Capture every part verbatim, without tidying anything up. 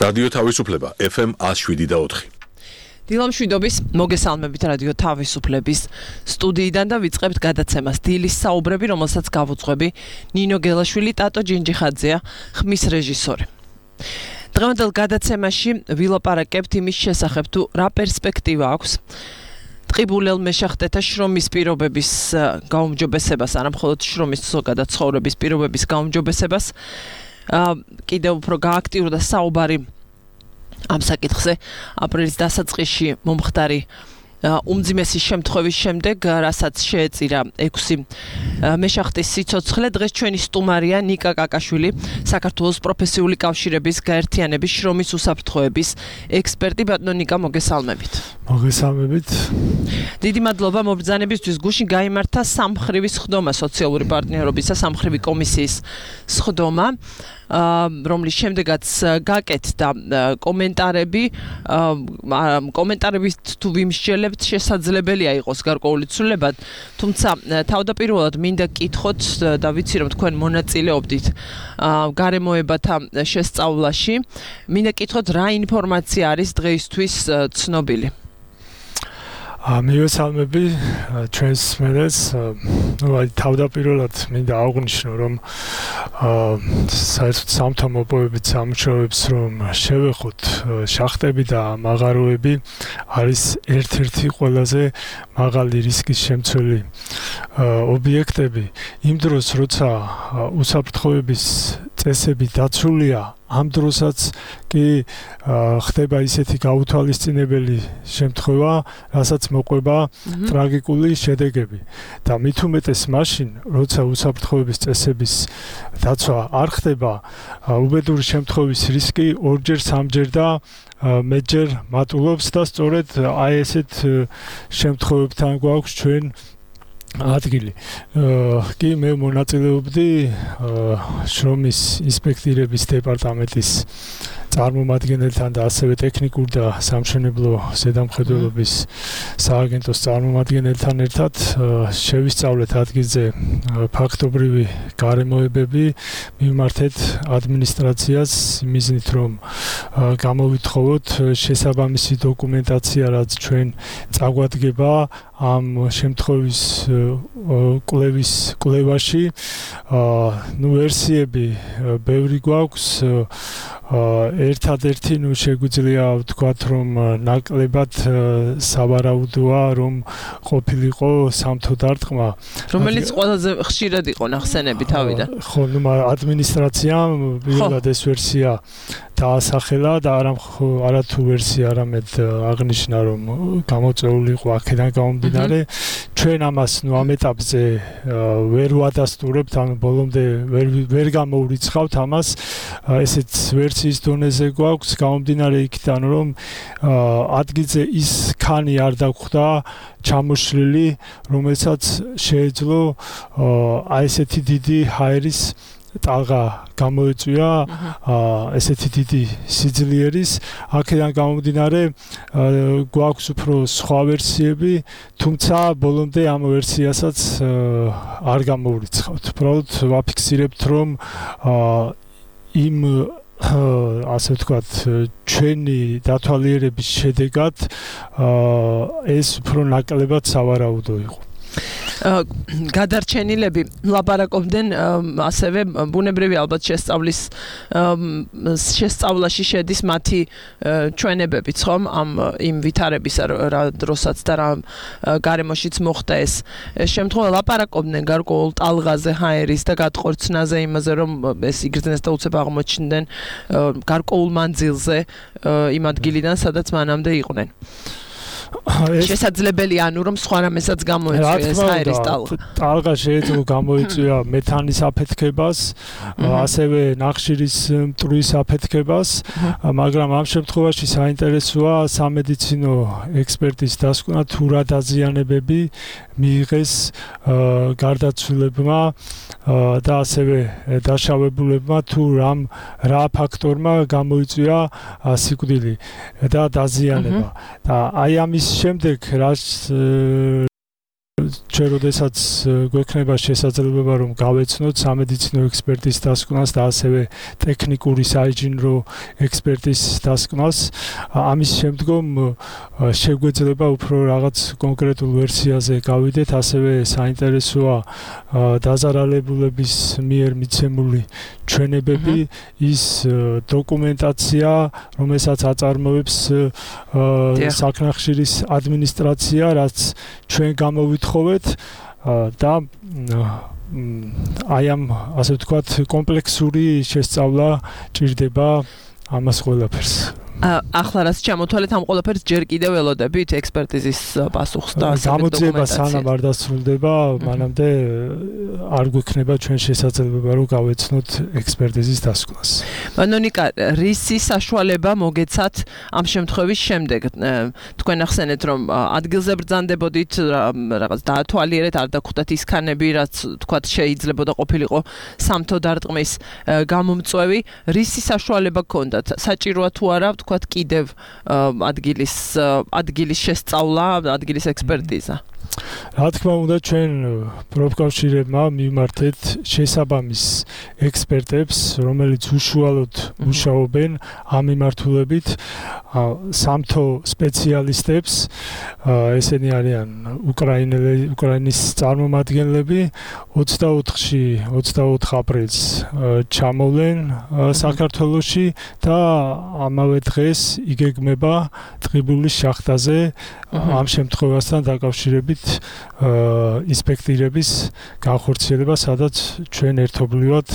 რადიო თავისუფლება F M one oh seven და four. დილამშვიდობის მოგესალმებით რადიო თავისუფლების სტუდიიდან და ვიწყებთ გადაცემას დილის საუბრები, რომელსაც გავუძღვები ნინო გელაშვილი, ტატო ჯინჯიხაძეა, ხმის რეჟისორი. დღევანდელ გადაცემაში ვილაპარაკებთ იმის შესახებ, თუ რა პერსპექტივა აქვს ტყიბულელ მეშახტეთა შრომის პირობების გაუმჯობესებას, არა მხოლოდ შრომის, ზოგადად ცხოვრების პირობების გაუმჯობესებას. კიდევ უფრო გააქტიურდა საუბარი ამ საკითხზე აპრილის დასაწყისში მომხდარი უმძიმესი შემთხვევის შემდეგ, რასაც შეეწირა ექვსი მეშახტის სიცოცხლე. დღეს ჩვენი სტუმარია ნიკა კაკაშვილი, საქართველოს პროფესიული კავშირების გაერთიანების შრომის უსაფრთხოების ექსპერტი. ბატონო ნიკა, მოგესალმებით. მოგესალმებით. დიდი მადლობა მობრძანებისთვის. გუშინ გაიმართა სამმხრივი სხდომა, სოციალური პარტნიორობის და სამმხრივი კომისიის სხდომა, რომლის შემდეგაც გაკეთდა კომენტარები. კომენტარებით თუ ვიმსჯელებთ, შესაძლებელია იყოს გარკვეული ცვლილებად, თუმცა თავდაპირველად მინდა გკითხოთ და ვიცი რომ თქვენ მონაწილეობდით გარემოებათა შესწავლაში. მინდა გკითხოთ, რა ინფორმაცია არის დღეისთვის ცნობილი? მივესალმები ჩვენს მერეს. თავდაპირველად მინდა აღვნიშნო, რომ საერთოდ სამთა მოპოვებით სამუშაოებს რომ შევეხოთ, შახტები და მაღაროები არის ერთ-ერთი ყველაზე მაღალი რისკის შემცველი ობიექტები. იმ დროს, როცა უსაფრთხოების წესები დაცულია, ამ დროსაც კი ხდება ისეთი გაუთვალისწინებელი შემთხვევა, რასაც მოყვება ტრაგიკული შედეგები. და მით უმეტეს მაშინ, როცა უსაფრთხოების წესების დაცვა არ ხდება, უბედური შემთხვევის რისკი ორჯერ სამჯერ და მეტჯერ მატულობს და სწორედ აი ესეთ შემთხვევებთან გვაქვს ჩვენ ადგილი. კი მე მონაწილეობდი შრომის ინსპექტირების დეპარტამენტის წარმომადგენელთან და ასევე ტექნიკურ და სამშენებლო ზედამხედველობის სააგენტოს წარმომადგენელთან ერთად შევისწავლეთ ადგილზე ფაქტობრივი გარემოებები, მივმართეთ ადმინისტრაციას მიზნით, რომ გამოვითხოვოთ შესაბამისი დოკუმენტაცია, რაც ჩვენ წაგვადგება ამ შემთხვევის კვლევის კვლევაში. ნუ ვერსიები ბევრი გვაქვს. ერთადერთი ნუ შეგვიძლია ვთქვათ, რომ ნაკლებად სავარაუდოა, რომ ყოფილიყო სამთო დარტყმა, რომელიც ყველაზე ხშირად იყო ნახსენები თავიდან. ხო, ნუ ადმინისტრაციამ პირველად ეს ვერსია დაასახელა და არა არათუ ვერსია, არამედ აღნიშნა, რომ გამოწვეული იყო აქედან გამომდინარე. ჩვენ ამას ნუ ამ ეტაპზე ვერ ვადასტურებთ, ანუ ბოლომდე ვერ ვერ გამოვრიცხავთ ამას. ესეც ვერსიის დონეზე გვაქვს, გამომდინარე იქიდან, რომ ადგილზე ის ქანი არ დაგვხვდა ჩამოშლილი, რომელსაც შეეძლო აი ესეთი დიდი ჰაერის ტალღა გამოეწვია, ესეთი დიდი სიძლიერის. აქედან გამომდინარე გვაქვს უფრო სხვა ვერსიები, თუმცა ბოლომდე ამ ვერსიასაც არ გამოვრიცხავთ. უბრალოდ ვაფიქსირებთ, რომ იმ ასე ვთქვათ, ჩვენი დათვალიერების შედეგად ეს უფრო ნაკლებად სავარაუდო იყო. გადარჩენილები ლაპარაკობდნენ ასევე ბუნებრივი ალბათ შესწავლის შესწავლაში შედის მათი ჩვენებებიც, ხომ, ამ იმ ვითარებისა, რა დროსაც და რა გარემოშიც მოხდა ეს შემთხვევა. ლაპარაკობდნენ გარკვეულ ტალღაზე, ჰაერის და გატყორცნაზე, იმაზე, რომ ეს იგრძნეს და უცებ აღმოჩნდნენ გარკვეულ მანძილზე იმ ადგილიდან, სადაც მანამდე იყვნენ. შესაძლებელია, ანუ რომ სხვა რამესაც გამოეწვია ეს ჰაერის ტალღა. ტალღა შეეძლო გამოეწვია მეთანის აფეთქებას, ასევე ნახშირის მტვრის აფეთქებას, მაგრამ ამ შემთხვევაში საინტერესოა სამედიცინო ექსპერტის დასკვნა, თუ რა დაზიანებები მიიღეს გარდაცვლილებმა და ასევე დაშავებულებმა, თუ რამ რა ფაქტორმა გამოიწვია სიკვდილი და დაზიანება. და აი ამის შემდეგ რაც ჩვენ როდესაც გვექნება შესაძლებლობა რომ გავეცნოთ სამედიცინო ექსპერტის დასკვნას და ასევე ტექნიკური საინჟინრო ექსპერტის დასკვნას, ამის შემდგომ შეგვეძლება უფრო რაღაც კონკრეტულ ვერსიაზე გავიდეთ, ასევე საინტერესოა დაზარალებულების მიერ მიცემული ჩვენებები, ის დოკუმენტაცია, რომელსაც აწარმოებს საქნახშირის ადმინისტრაცია, რაც ჩვენ გამოვითხოვეთ და აი ამ ასე ვთქვათ კომპლექსური შესწავლა ჭირდება ამას ყველაფერს. ახლა რაც ჩამოთვალეთ ამ ყველაფერს ჯერ კიდევ ველოდებით ექსპერტიზის პასუხს და გამოძიება სანამ არ დასრულდება, მანამდე არ გვექნება ჩვენ შესაძლებლობა რომ გავეცნოთ ექსპერტიზის დასკვნას. მანონიკა, რისი საშუალება მოგეცათ ამ შემთხვევის შემდეგ? თქვენ ახსენეთ რომ ადგილზე ბრძანდებოდით, რაღაც დაათვალიერეთ, არ დაგხვდათ ის ქანები, რაც თქვათ შეიძლებოდა ყოფილიყო სამთო დარტყმის გამომწვევი, რისი საშუალება გქონდათ? საჭიროა თუ არა თქვათ კიდევ ადგილის ადგილის შესწავლა, ადგილის ექსპერტიზა? რა თქმა უნდა, ჩვენ პროფკავშირებმა მივმართეთ შესაბამის ექსპერტებს, რომელიც უშუალოდ მუშაობენ ამ მიმართულებით, სამთო სპეციალისტებს, ესენი არიან უკრაინელი, უკრაინის წარმომადგენლები, ოცდაოთხში, ოცდაოთხ აპრილს ჩამოვლენ საქართველოში და ამავე დღეს იგეგმება ტყიბულის შახტაზე ამ შემთხვევასთან დაკავშირებით ინსპექტირების განხორციელება, სადაც ჩვენ ერთობლივად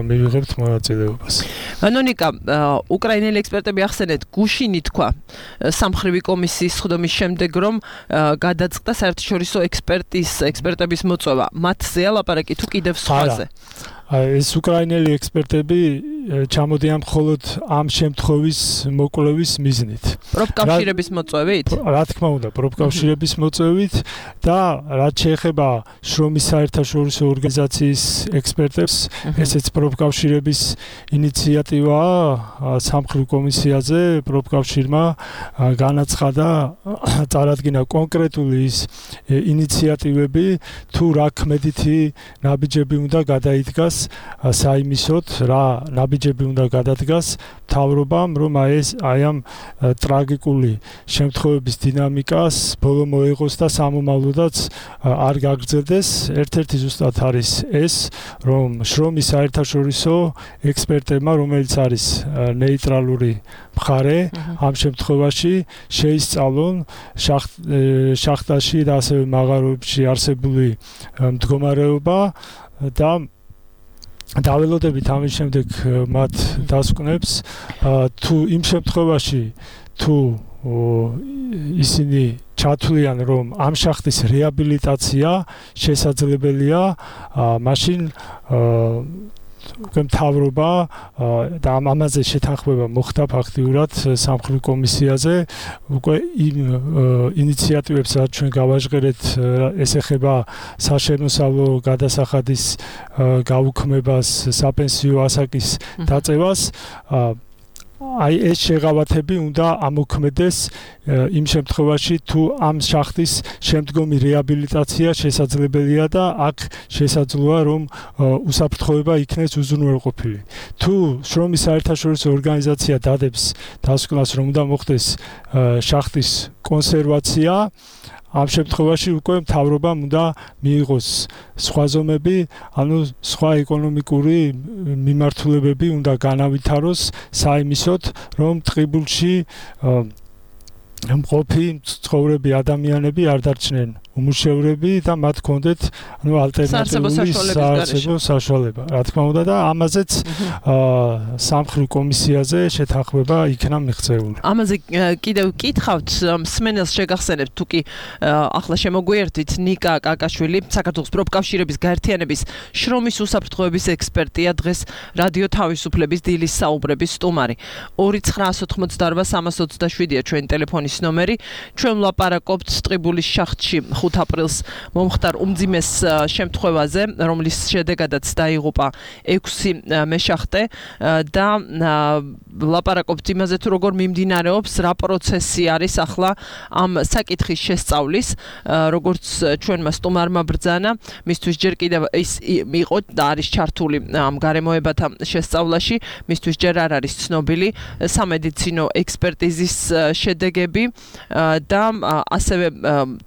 მივიღებთ მონაწილეობას. მანონიკა, უკრაინელი ექსპერტები ახსენეთ, გუშინი თქვა სამხრივი კომისიის სხდომის შემდეგ, რომ გადაწყდა საერთაშორისო ექსპერტის ექსპერტების მოწვევა. მათზე ალაპარაკი თუ კიდევ სხვაზე? ეს უკრაინელი ექსპერტები ჩამოდიან მხოლოდ ამ შემთხვევის მოკვლევის მიზნით. პროფკავშირების მოწვევით? რა თქმა უნდა, პროფკავშირების მოწვევით და რაც შეეხება შრომის საერთაშორისო ორგანიზაციის ექსპერტებს, ესეც პროფკავშირების ინიციატივაა სამხრივ კომისიაზე, პროფკავშირმა განაცხადა, წარადგინა კონკრეტული ის ინიციატივები, თუ რა ქმედითი ნაბიჯები უნდა გადაიდგას საიმისოდ, რა ნაბიჯები უნდა გადადგას მთავრობამ, რომ ეს აი ამ ტრაგიკული შემთხვევების დინამიკას ბოლო მოეღოს და სამომავლოდაც არ გაგრძელდეს. ერთ-ერთი ზუსტად არის ეს, რომ შრომის საერთაშორისო ექსპერტებმა, რომელიც არის ნეიტრალური მხარე, ამ შემთხვევაში შეისწავლონ შახტაში და ასევე მაღაროებში არსებული მდგომარეობა და დაველოდებით ამის შემდეგ მათ დასკვნებს, თუ იმ შემთხვევაში თუ ისინი ჩათვლიან, რომ ამ შახტის რეაბილიტაცია შესაძლებელია, მაშინ მთავრობა და ამაზე შეთანხმება მოხდა ფაქტიურად სამხრივ კომისიაზე, უკვე იმ ინიციატივებს, რაც ჩვენ გავაჟღერეთ, ეს ეხება საშემოსავლო გადასახადის გაუქმებას, საპენსიო ასაკის დაწევას, აი ეს შეღავათები უნდა ამოქმედეს იმ შემთხვევაში, თუ ამ შახტის შემდგომი რეაბილიტაცია შესაძლებელია და აქ შესაძლოა, რომ უსაფრთხოება იქნეს უზრუნველყოფილი. თუ შრომის საერთაშორისო ორგანიზაცია დადებს დასკვნას, რომ უნდა მოხდეს შახტის კონსერვაცია, ამ შემთხვევაში უკვე მთავრობამ უნდა მიიღოს სხვა ზომები, ანუ სხვა ეკონომიკური მიმართულებები უნდა განავითაროს საიმისოდ, რომ ტყიბულში მყოფი ცხოვრები ადამიანები არ დარჩნენ უმუშევრები და მათ ჰქონდეთ ანუ ალტერნატიული საარსებო საშუალება. რა თქმა უნდა და ამაზეც სამხრივ კომისიაზე შეთანხმება იქნა მიღწეული. ამაზე კიდევ კითხავთ, მსმენელს შეგახსენებთ, თუ კი ახლა შემოგვიერთვით, ნიკა კაკაშვილი, საქართველოს პროფკავშირების გაერთიანების შრომის უსაფრთხოების ექსპერტია, დღეს რადიო თავისუფლების დილის საუბრების სტუმარი. ორი ცხრა ოთხმოცდაორვა სამას ოცდაშვიდია ჩვენი ტელეფონი ტელეფონის ნომერი. ჩვენ ვლაპარაკობთ ტყიბულის შახტში ხუთ აპრილს მომხდარ უმძიმეს შემთხვევაზე, რომლის შედეგადაც დაიღუპა ექვსი მეშახტე და ვლაპარაკობთ იმაზე თუ როგორ მიმდინარეობს, რა პროცესი არის ახლა ამ საკითხის შესწავლის, როგორც ჩვენმა სტუმარმა ბრძანა, მისთვის ჯერ კიდევ ის იყო და არის ჩართული ამ გარემოებათა შესწავლაში, მისთვის ჯერ არ არის ცნობილი სამედიცინო ექსპერტიზის შედეგები და ასევე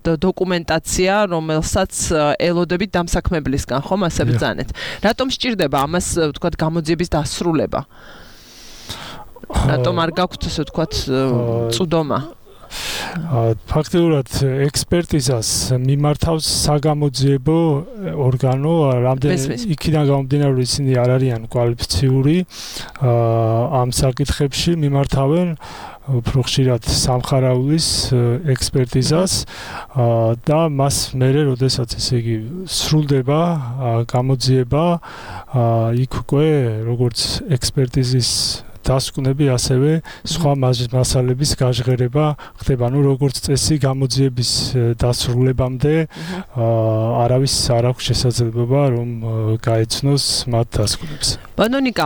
დოკუმენტაცია, რომელსაც ელოდებით დამსაქმებლისგან, ხომ, ასე ბრძანეთ. რატომ სჭირდება ამას, ვთქვათ, გამოძიების დასრულება? რატომ არ გაქვთ, ასე ვთქვათ, წვდომა? ფაქტიურად ექსპერტიზას მიმართავს საგამოძიებო ორგანო, რამდენი იქიდან გამომდინარე, რომ ისინი არ არიან კვალიფიციური ამ საკითხებში, მიმართავენ უფრო ხშირად სამხარაულის ექსპერტიზას და მას მერე, როდესაც ესე იგი სრულდება გამოძიება, იქ უკვე როგორც ექსპერტიზის დასკვნები, ასევე სხვა მასალების გაჟღერება ხდება. ნუ როგორც წესი გამოძიების დასრულებამდე არავის არ აქვს შესაძლებლობა რომ გაეცნოს მათ დასკვნებს. ბანონიკა,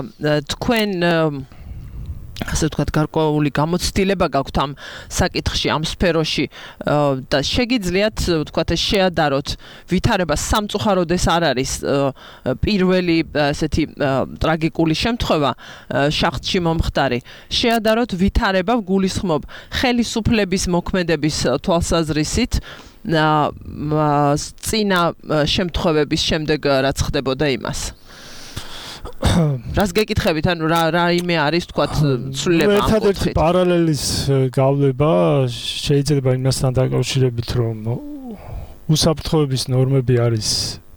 თქვენ ასე ვთქვათ, გარკვეული გამოცდილება გაქვთ ამ საკითხში, ამ სფეროში და შეგიძლიათ, ვთქვათ, შეადაროთ ვითარება სამწუხაროდ ეს არ არის პირველი ესეთი ტრაგიკული შემთხვევა შახტში მომხდარი. შეადაროთ ვითარება, გულისხმობ ხელისუფლების მოქმედების თვალსაზრისით წინა შემთხვევების შემდეგ რაც ხდებოდა იმას. რას გეკითხებით, ანუ რა რაიმე არის, თქვათ, ცვლილება ამ კუთხით? ერთადერთი პარალელის გავლება შეიძლება იმასთან დაკავშირებით, რომ უსაფრთხოების ნორმები არის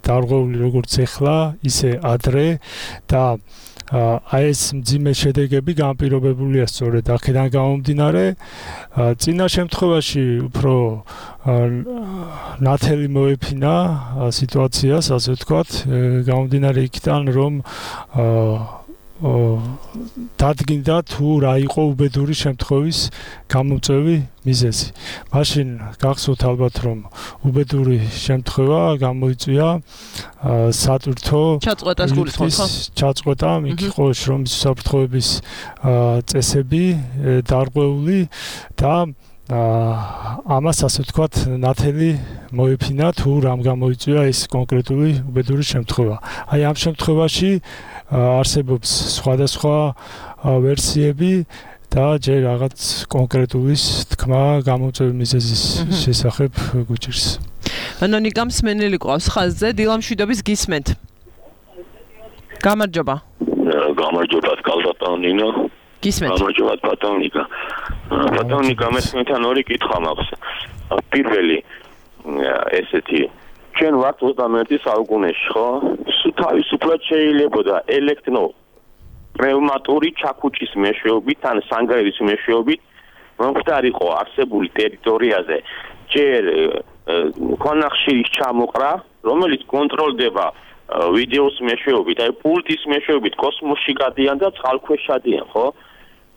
დარღვეული როგორც ეხლა, ისე ადრე და აი ეს მძიმე შედეგები განპირობებულია სწორედ აქედან გამომდინარე. წინა შემთხვევაში უფრო ნათელი მოეფინა სიტუაციას, ასე ვთქვათ, გამომდინარე იქიდან, რომ დადგინდა თუ რა იყო უბედური შემთხვევის გამომწვევი მიზეზი. მაშინ გახსოვთ ალბათ, რომ უბედური შემთხვევა გამოიწვია სატვირთო ჩაწყვეტას გულისხმობ, ხო? ჩაწყვეტა, იქ იყო შრომის უსაფრთხოების წესები დარღვეული და ამას ასე ვთქვათ, ნათელი მოეფინა თუ რამ გამოიწვია ეს კონკრეტული უბედური შემთხვევა. აი ამ შემთხვევაში არსებობს სხვადასხვა ვერსიები და ჯერ რაღაც კონკრეტულის თქმა გამომწვევი მიზეზის შესახებ გვიჭირს. ბანონიკა მსმენელი ყავს ხაზზე, დილამშვიდობის გისმენთ. გამარჯობა. გამარჯობა, კალბატონინო. გისმენთ. გამარჯობა, ბატონიკა. ბატონიკა, მესმენთან ორი კითხვა მაქვს. პირველი ესეთი ჩვენ ვართ ოცდამეერთე საუკუნეში, ხო? თავისუფლად შეიძლებოდა ელექტრო პნევმატური ჩაქუჩის მეშვეობით ან სანგაირის მეშვეობით მომხდარიყო არსებული ტერიტორიაზე ჯერ ქვანახშირის ჩამოყრა, რომელიც კონტროლდება ვიდეოს მეშვეობით, აი პულტის მეშვეობით კოსმოსში გადიან და წყალქვეშ შადიან, ხო?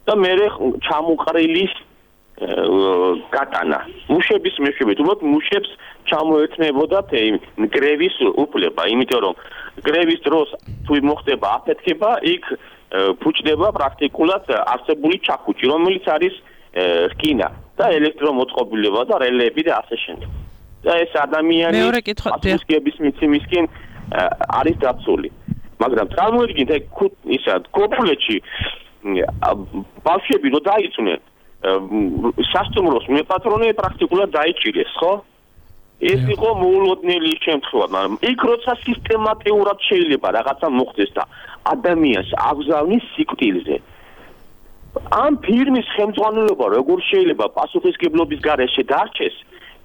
და მერე ჩამოყრილის გატანა. მუშების მეშვეობით, უბრალოდ მუშებს ჩამოერთნებოდა გრევის უფლება, იმიტომ რომ გრევის დროს თუ მოხდება აფეთქება, იქ ფუჭდება პრაქტიკულად არსებული ჩაქუჩი, რომელიც არის რკინა და ელექტრომოწყობილობა და რელეები და ასე შემდეგ. და ეს ადამიანი აფეთქების მიცემისკენ არის დაცული. მაგრამ წარმოიდგინეთ, ისა კოპულეთში ბავშვები რო დაიწუნენ სასტუმროს მეპატრონე პრაქტიკულად დაიჭირეს, ხო? ეს იყო მოულოდნელი შემთხვევა, მაგრამ იქ როცა სისტემატურად შეიძლება რაღაცა მოხდეს და ადამიანს აგზავნის სიკვდილზე. ამ ფირმის ხელმძღვანელობა როგორ შეიძლება პასუხისმგებლობის გარეშე დარჩეს,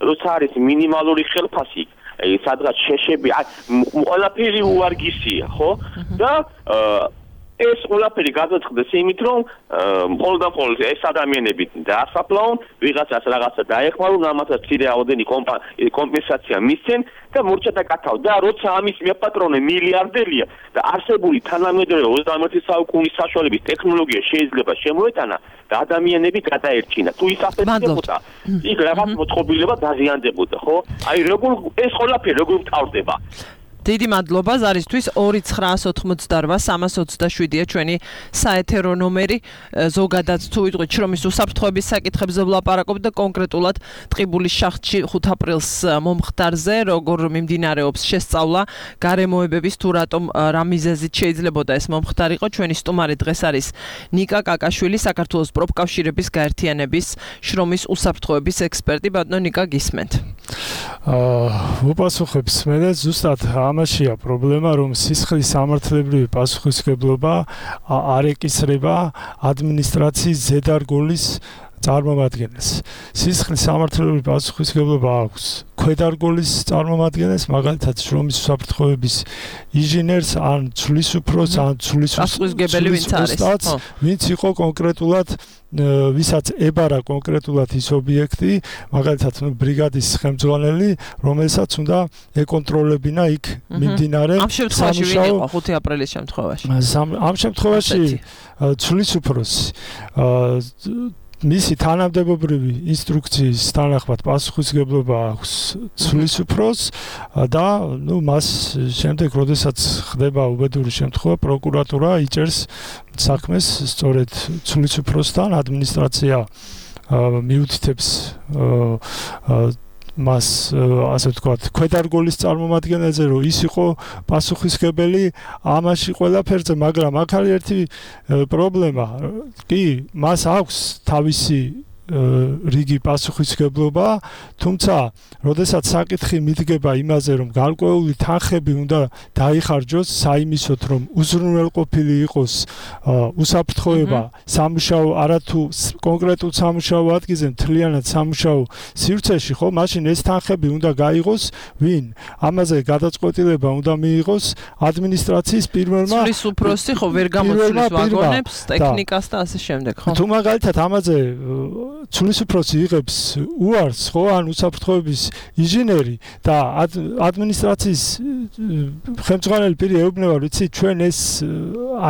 როცა არის მინიმალური ხელფასი, სადღაც შეშები, ყველაფერი უარგისია, ხო? და ეს ყველაფერი გადაწყდეს იმით, რომ მხოლოდ და მხოლოდ ეს ადამიანები დაასაფლავონ, ვიღაცას რაღაცა დაეხმარონ, ამასაც ცირე რაოდენი კომპენსაცია მისცენ და მორჩა დაკათავ და როცა ამის მეპატრონე მილიარდერია და არსებული თანამედროვე ოცდამეერთე საუკუნის საშუალების ტექნოლოგია შეიძლება შემოეტანა და ადამიანები გადაერჩინა. თუ ის აფეთქებოდა, იქ რაღაც მოწყობილება დაზიანდებოდა, ხო? აი როგორ ეს ყველაფერი როგორ თავდება? დიდი მადლობა ზარისთვის ორი ცხრაას ოთხმოცდარვა სამას ოცდაშვიდია ჩვენი საეთერო ნომერი ზოგადად თუ ვიტყვით შრომის უსაფრთხოების საკითხებზე ვლაპარაკობთ და კონკრეტულად ტყიბულის შახტში ხუთ აპრილს მომხდარზე როგორ მიმდინარეობს შესწავლა გარემოებების თუ რატომ რა მიზეზით შეიძლებოდა ეს მომხდარიყო ჩვენი სტუმარი დღეს არის ნიკა კაკაშვილი საქართველოს პროფკავშირების გაერთიანების შრომის უსაფრთხოების ექსპერტი ბატონო ნიკა გისმენთ აა უპასუხებს მე და ზუსტად ამაშია პრობლემა, რომ სისხლის სამართლებრივი პასუხისმგებლობა არ ეკისრება ადმინისტრაციის ზედარგოლის წარმომადგენელს. სისხლის სამართლებრივი პასუხისმგებლობა აქვს ქვედარგოლის წარმომადგენელს, მაგალითად შრომის უსაფრთხოების ინჟინერს, ან ცვლის უფროს, ან ცვლის პასუხისმგებელი ვინც არის, ვინც იყო კონკრეტულად ვისაც ებარა კონკრეტულად ის ობიექტი, მაგალითად ბრიგადის ხელმძღვანელი, რომელსაც უნდა ეკონტროლებინა იქ მიმდინარე ამ შემთხვევაში ვინ იყო ხუთი აპრილის შემთხვევაში? ამ შემთხვევაში ცვლის უფროსი მისი თანამდებობრივი ინსტრუქციის თანახმად პასუხისმგებლობა აქვს ცვლის უფროს და ნუ მას შემდეგ როდესაც ხდება უბედური შემთხვევა პროკურატურა იჭერს საქმეს სწორედ ცვლის უფროსთან ადმინისტრაცია მიუთითებს მას ასე ვთქვათ ქვედარგოლის წარმომადგენელზე რომ ის იყო პასუხისმგებელი ამაში ყველაფერზე მაგრამ აქ არის ერთი პრობლემა კი მას აქვს თავისი რიგი პასუხისმგებლობა თუმცა როდესაც საკითხი მიდგება იმაზე რომ გარკვეული თანხები უნდა დაიხარჯოს საიმისოდ რომ უზრუნველყოფილი იყოს უსაფრთხოება სამუშაო არათუ კონკრეტულ სამუშაო ადგილზე მთლიანად სამუშაო სივრცეში ხო მაშინ ეს თანხები უნდა გაიღოს ვინ ამაზე გადაწყვეტილება უნდა მიიღოს ადმინისტრაციის პირველმა ცვლის უფროსი ხო ვერ გამოსulis ვაგონებს ტექნიკას და ასე შემდეგ ხო თუ მაგალითად ამაზე ცვლის უფროსი იღებს უარს ხო ან უსაფრთხოების ინჟინერი და ადმინისტრაციის ხელმძღვანელი პირი ეუბნება ვიცი ჩვენ ეს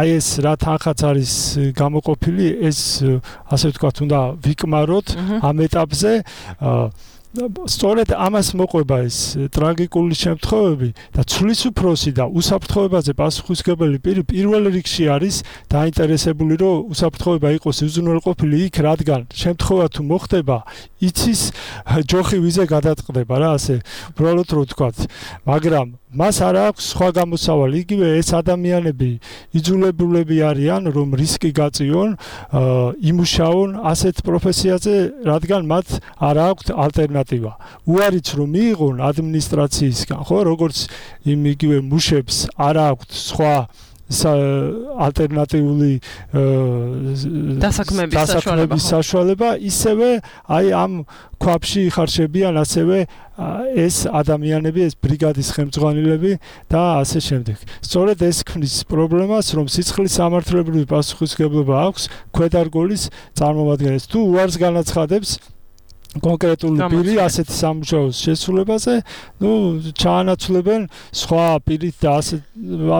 აი ეს რა თანხაც არის გამოყოფილი ეს ასე ვთქვათ უნდა ვიკმაროთ ამ ეტაპზე სწორედ ამას მოყვება ეს ტრაგიკული შემთხვევები და ცვლის უფროსი და უსაფრთხოებაზე პასუხისმგებელი პირი პირველ რიგში არის დაინტერესებული რომ უსაფრთხოება იყოს უზრუნველყოფილი იქ რადგან შემთხვევა თუ მოხდება იცის ჯოხი ვიზე გადაწყდება რა ასე უბრალოდ რო ვთქვათ მაგრამ მას არ აქვს სხვა გამოსავალი იგივე ეს ადამიანები იძულებულები არიან რომ რისკი გაწიონ იმუშაონ ასეთ პროფესიაზე რადგან მათ არ აქვს ალტერნატივა უარიც რომ მიიღონ ადმინისტრაციისგან ხო როგორც იმ იგივე მუშებს არ აქვს სხვა ალტერნატიული დასაქმების საშუალება ისევე აი ამ ქვაბში იხარშებიან ასევე ეს ადამიანები ეს ბრიგადის ხელმძღვანელები და ასე შემდეგ. სწორედ ეს ქმნის პრობლემას რომ სისხლის სამართლებრივი პასუხისმგებლობა აქვს ქვედარგოლის წარმომადგენელს თუ უარს განაცხადებს კონკრეტული პირი ასეთი სამუშაოს შესრულებაზე, ну, ჩაანაცვლებენ სხვა პირით და ასე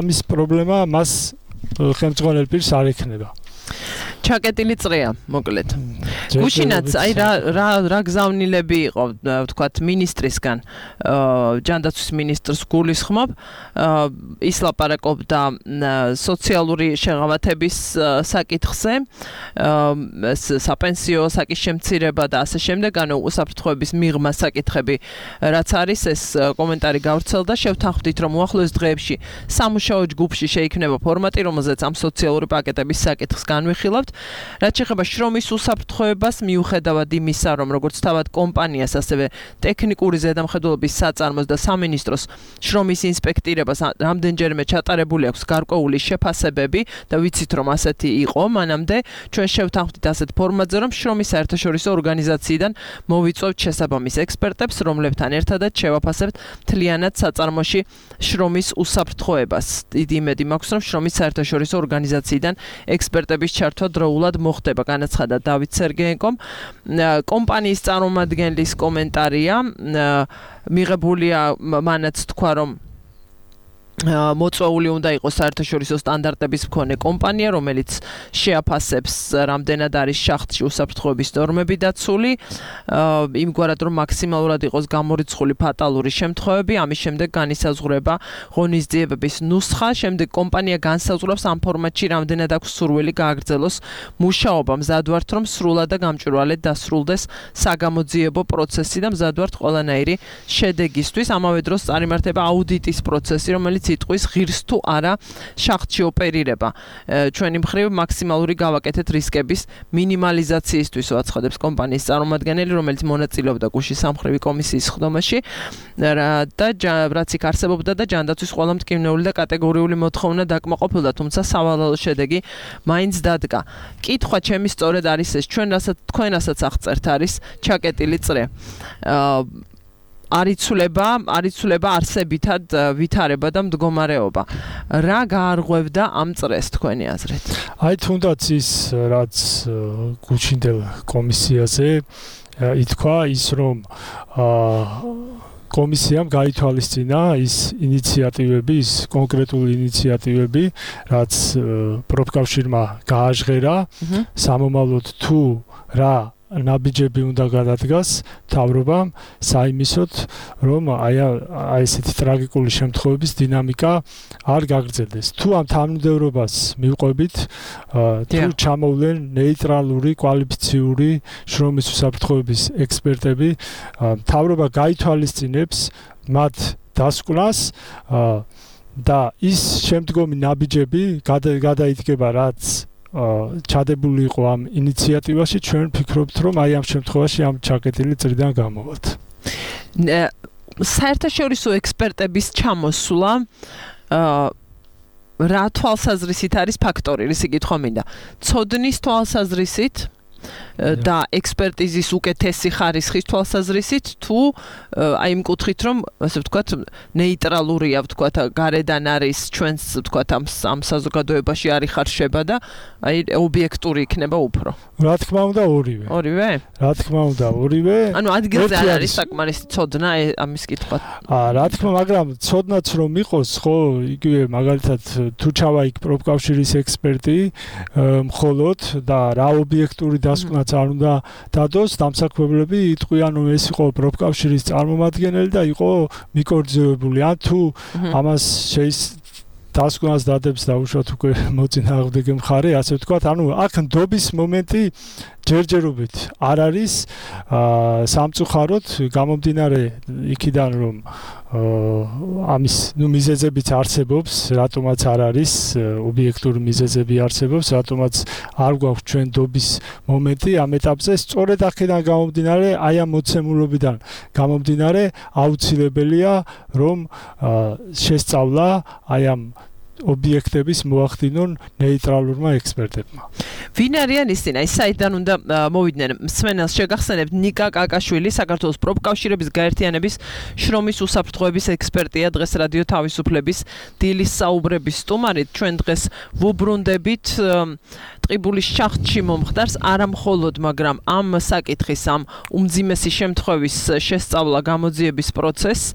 ამის პრობლემა მას ხელმძღვანელ პირს არ ექნება. ჩაკეტილი წრეა, მოკლედ. გუშინაც აი რა რა რა გზავნილები იყო, ვთქვათ, მინისტრისგან, ჯანდაცვის მინისტრს გულისხმობ, ის ლაპარაკობდა სოციალური შეღავათების საკითხზე, საპენსიო საკითხის შემცირება და ასე შემდეგ, ანუ უსაფრთხოების მიღმა საკითხები, რაც არის, ეს კომენტარი გავრცელდა, შევთანხმდით, რომ უახლოეს დღეებში სამუშაო ჯგუფში შეიქმნება ფორმატი, რომელზეც ამ სოციალური პაკეტების საკითხს განვიხილავთ. რაც შეეხება შრომის უსაფრთხოებას, მიუხედავად იმისა, რომ როგორც თავად კომპანიას, ასევე ტექნიკური ზედამხედველობის საწარმოს და სამინისტროს შრომის ინსპექტირებას რამდენჯერმე ჩატარებული აქვს გარკვეული შეფასებები და ვიცით, რომ ასეთი იყო, მანამდე ჩვენ შევთანხმდით ასეთ ფორმატზე, რომ შრომის საერთაშორისო ორგანიზაციიდან მოვიწვევთ შესაბამის ექსპერტებს, რომლებთან ერთადაც შევაფასებთ მთლიანად საწარმოში შრომის უსაფრთხოებას. დიდი იმედი მაქვს, რომ შრომის საერთაშორისო ორგანიზაციიდან ექსპერტების ჩართვა დროულად მოხდება, განაცხადა დავით სერგეენკომ. კომპანიის წარმომადგენლის კომენტარია, მიღებულია მანაც თქვა, რომ მოწვეული უნდა იყოს საერთაშორისო სტანდარტების მქონე კომპანია, რომელიც შეაფასებს რამდენად არის შახტში უსაფრთხოების ნორმები დაცული, იმგვარად რომ მაქსიმალურად იყოს გამორიცხული ფატალური შემთხვევები, ამის შემდეგ განისაზღვრება ღონისძიებების ნუსხა, შემდეგ კომპანია განსაზღვრავს ამ ფორმატში რამდენად აქვს სურვილი გააგრძელოს მუშაობა, მზად ვართ რომ სრულად და გამჭვირვალედ დასრულდეს საგამოძიებო პროცესი და მზად ვართ ყველანაირი შედეგისთვის. ამავე დროს წარიმართება აუდიტის პროცესი, რომელიც იტყვის ღირს თუ არა შახტში ოპერირება. ჩვენი მხრივ მაქსიმალური გავაკეთეთ რისკების მინიმალიზაციისთვის უაცხადებს კომპანიის წარმომადგენელი, რომელიც მონაწილეობდა გუშინ სამხრივი კომისიის ხდომაში და რაც იქ არსებობდა და ჯანდაცვის ყველა მტკივნეული და კატეგორიული მოთხოვნა დაკმაყოფილდა, თუმცა სავალალო შედეგი მაინც დადგა. კითხვა ჩემი სწორედ არის ეს, ჩვენ რასაც თქვენ რასაც აღწერთ არის ჩაკეტილი წრე. არიცულება, არიცულება არსებითად ვითარება და მდგომარეობა. რა გაარღვევდა ამ წრეს თქვენი აზრით? აი თუნდაც ის რაც გუჩინდელ კომისიაზე ითქვა ის რომ კომისიამ გაითვალისწინა ის ინიციატივები, ის კონკრეტული ინიციატივები, რაც პროფკავშირმა გააჟღერა, სამომავლოდ თუ რა ნაბიჯები უნდა გადადგას მთავრობამ საიმისოდ, რომ აი აი ესეთი ტრაგიკული შემთხვევების დინამიკა არ გაგრძელდეს. თუ ამ თანმიმდევრობას მივყვებით, თუ ჩამოვლენ ნეიტრალური, კვალიფიციური შრომის უსაფრთხოების ექსპერტები, მთავრობა გაითვალისწინებს მათ დასკვნას და ის შემდგომი ნაბიჯები გადაიდგება, რაც ჩადებული იყო ამ ინიციატივაში, ჩვენ ვფიქრობთ, რომ აი ამ შემთხვევაში ამ ჩაკეტილი წრიდან გამოვალთ. საერთაშორისო ექსპერტების ჩამოსვლა რა თვალსაზრისით არის ფაქტორი, ისი კითხვა მინდა. ცოდნის თვალსაზრისით და ექსპერტიზის უკეთესი ხარისხის თვალსაზრისით თუ აი იმ კუთხით რომ ასე ვთქვათ ნეიტრალურია ვთქვათ გარედან არის ჩვენს ვთქვათ ამ ამ საზოგადოებაში არის ხარშება და აი ობიექტური იქნება უფრო. რა თქმა უნდა ორივე. ორივე? რა თქმა უნდა ორივე. ანუ ადგილზე არ არის საკმარისი ცოდნა ამის კითხვა. აა რა თქმა, მაგრამ ცოდნაც რომ იყოს, ხო, იგივე მაგალითად თუ ჩავა იქ პროფკავშირის ექსპერტი მხოლოდ და რა ობიექტური დასკვნაც არ უნდა დადოს, დამსაქმებლები იტყვიან რომ ეს იყო პროფკავშირის წარმომადგენელი და იყო მიკორძევებული. ან თუ ამას შეის დასკვნას დადებს და უშუალოდ უკვე მოწინააღმდეგე მხარე, ასე ვთქვათ, ანუ აქ ნდობის მომენტი ჯერჯერობით არ არის სამწუხაროდ გამომდინარე იქიდან რომ ამის ნუ მიზეზებიც არსებობს, რატომაც არ არის ობიექტური მიზეზები არსებობს, რატომაც არ გვაქვს ჩვენ ნდობის მომენტი ამ ეტაპზე, სწორედ აქედან გამომდინარე, აი ამ მოცემულობიდან გამომდინარე აუცილებელია რომ შესწავლა აი ამ ობიექტების მოახდინონ ნეიტრალურმა ექსპერტებმა. ვინ არიან ისინი? აი საიდან უნდა მოვიდნენ? მსმენელს შეგახსენებთ ნიკა კაკაშვილი, საქართველოს პროფკავშირების გაერთიანების შრომის უსაფრთხოების ექსპერტია, დღეს რადიო თავისუფლების დილის საუბრების სტუმარი. ჩვენ დღეს ვუბრუნდებით ტყიბულის შახტში მომხდარს, არა მხოლოდ, მაგრამ ამ საკითხის, ამ უმძიმესი შემთხვევის შესწავლა გამოძიების პროცესს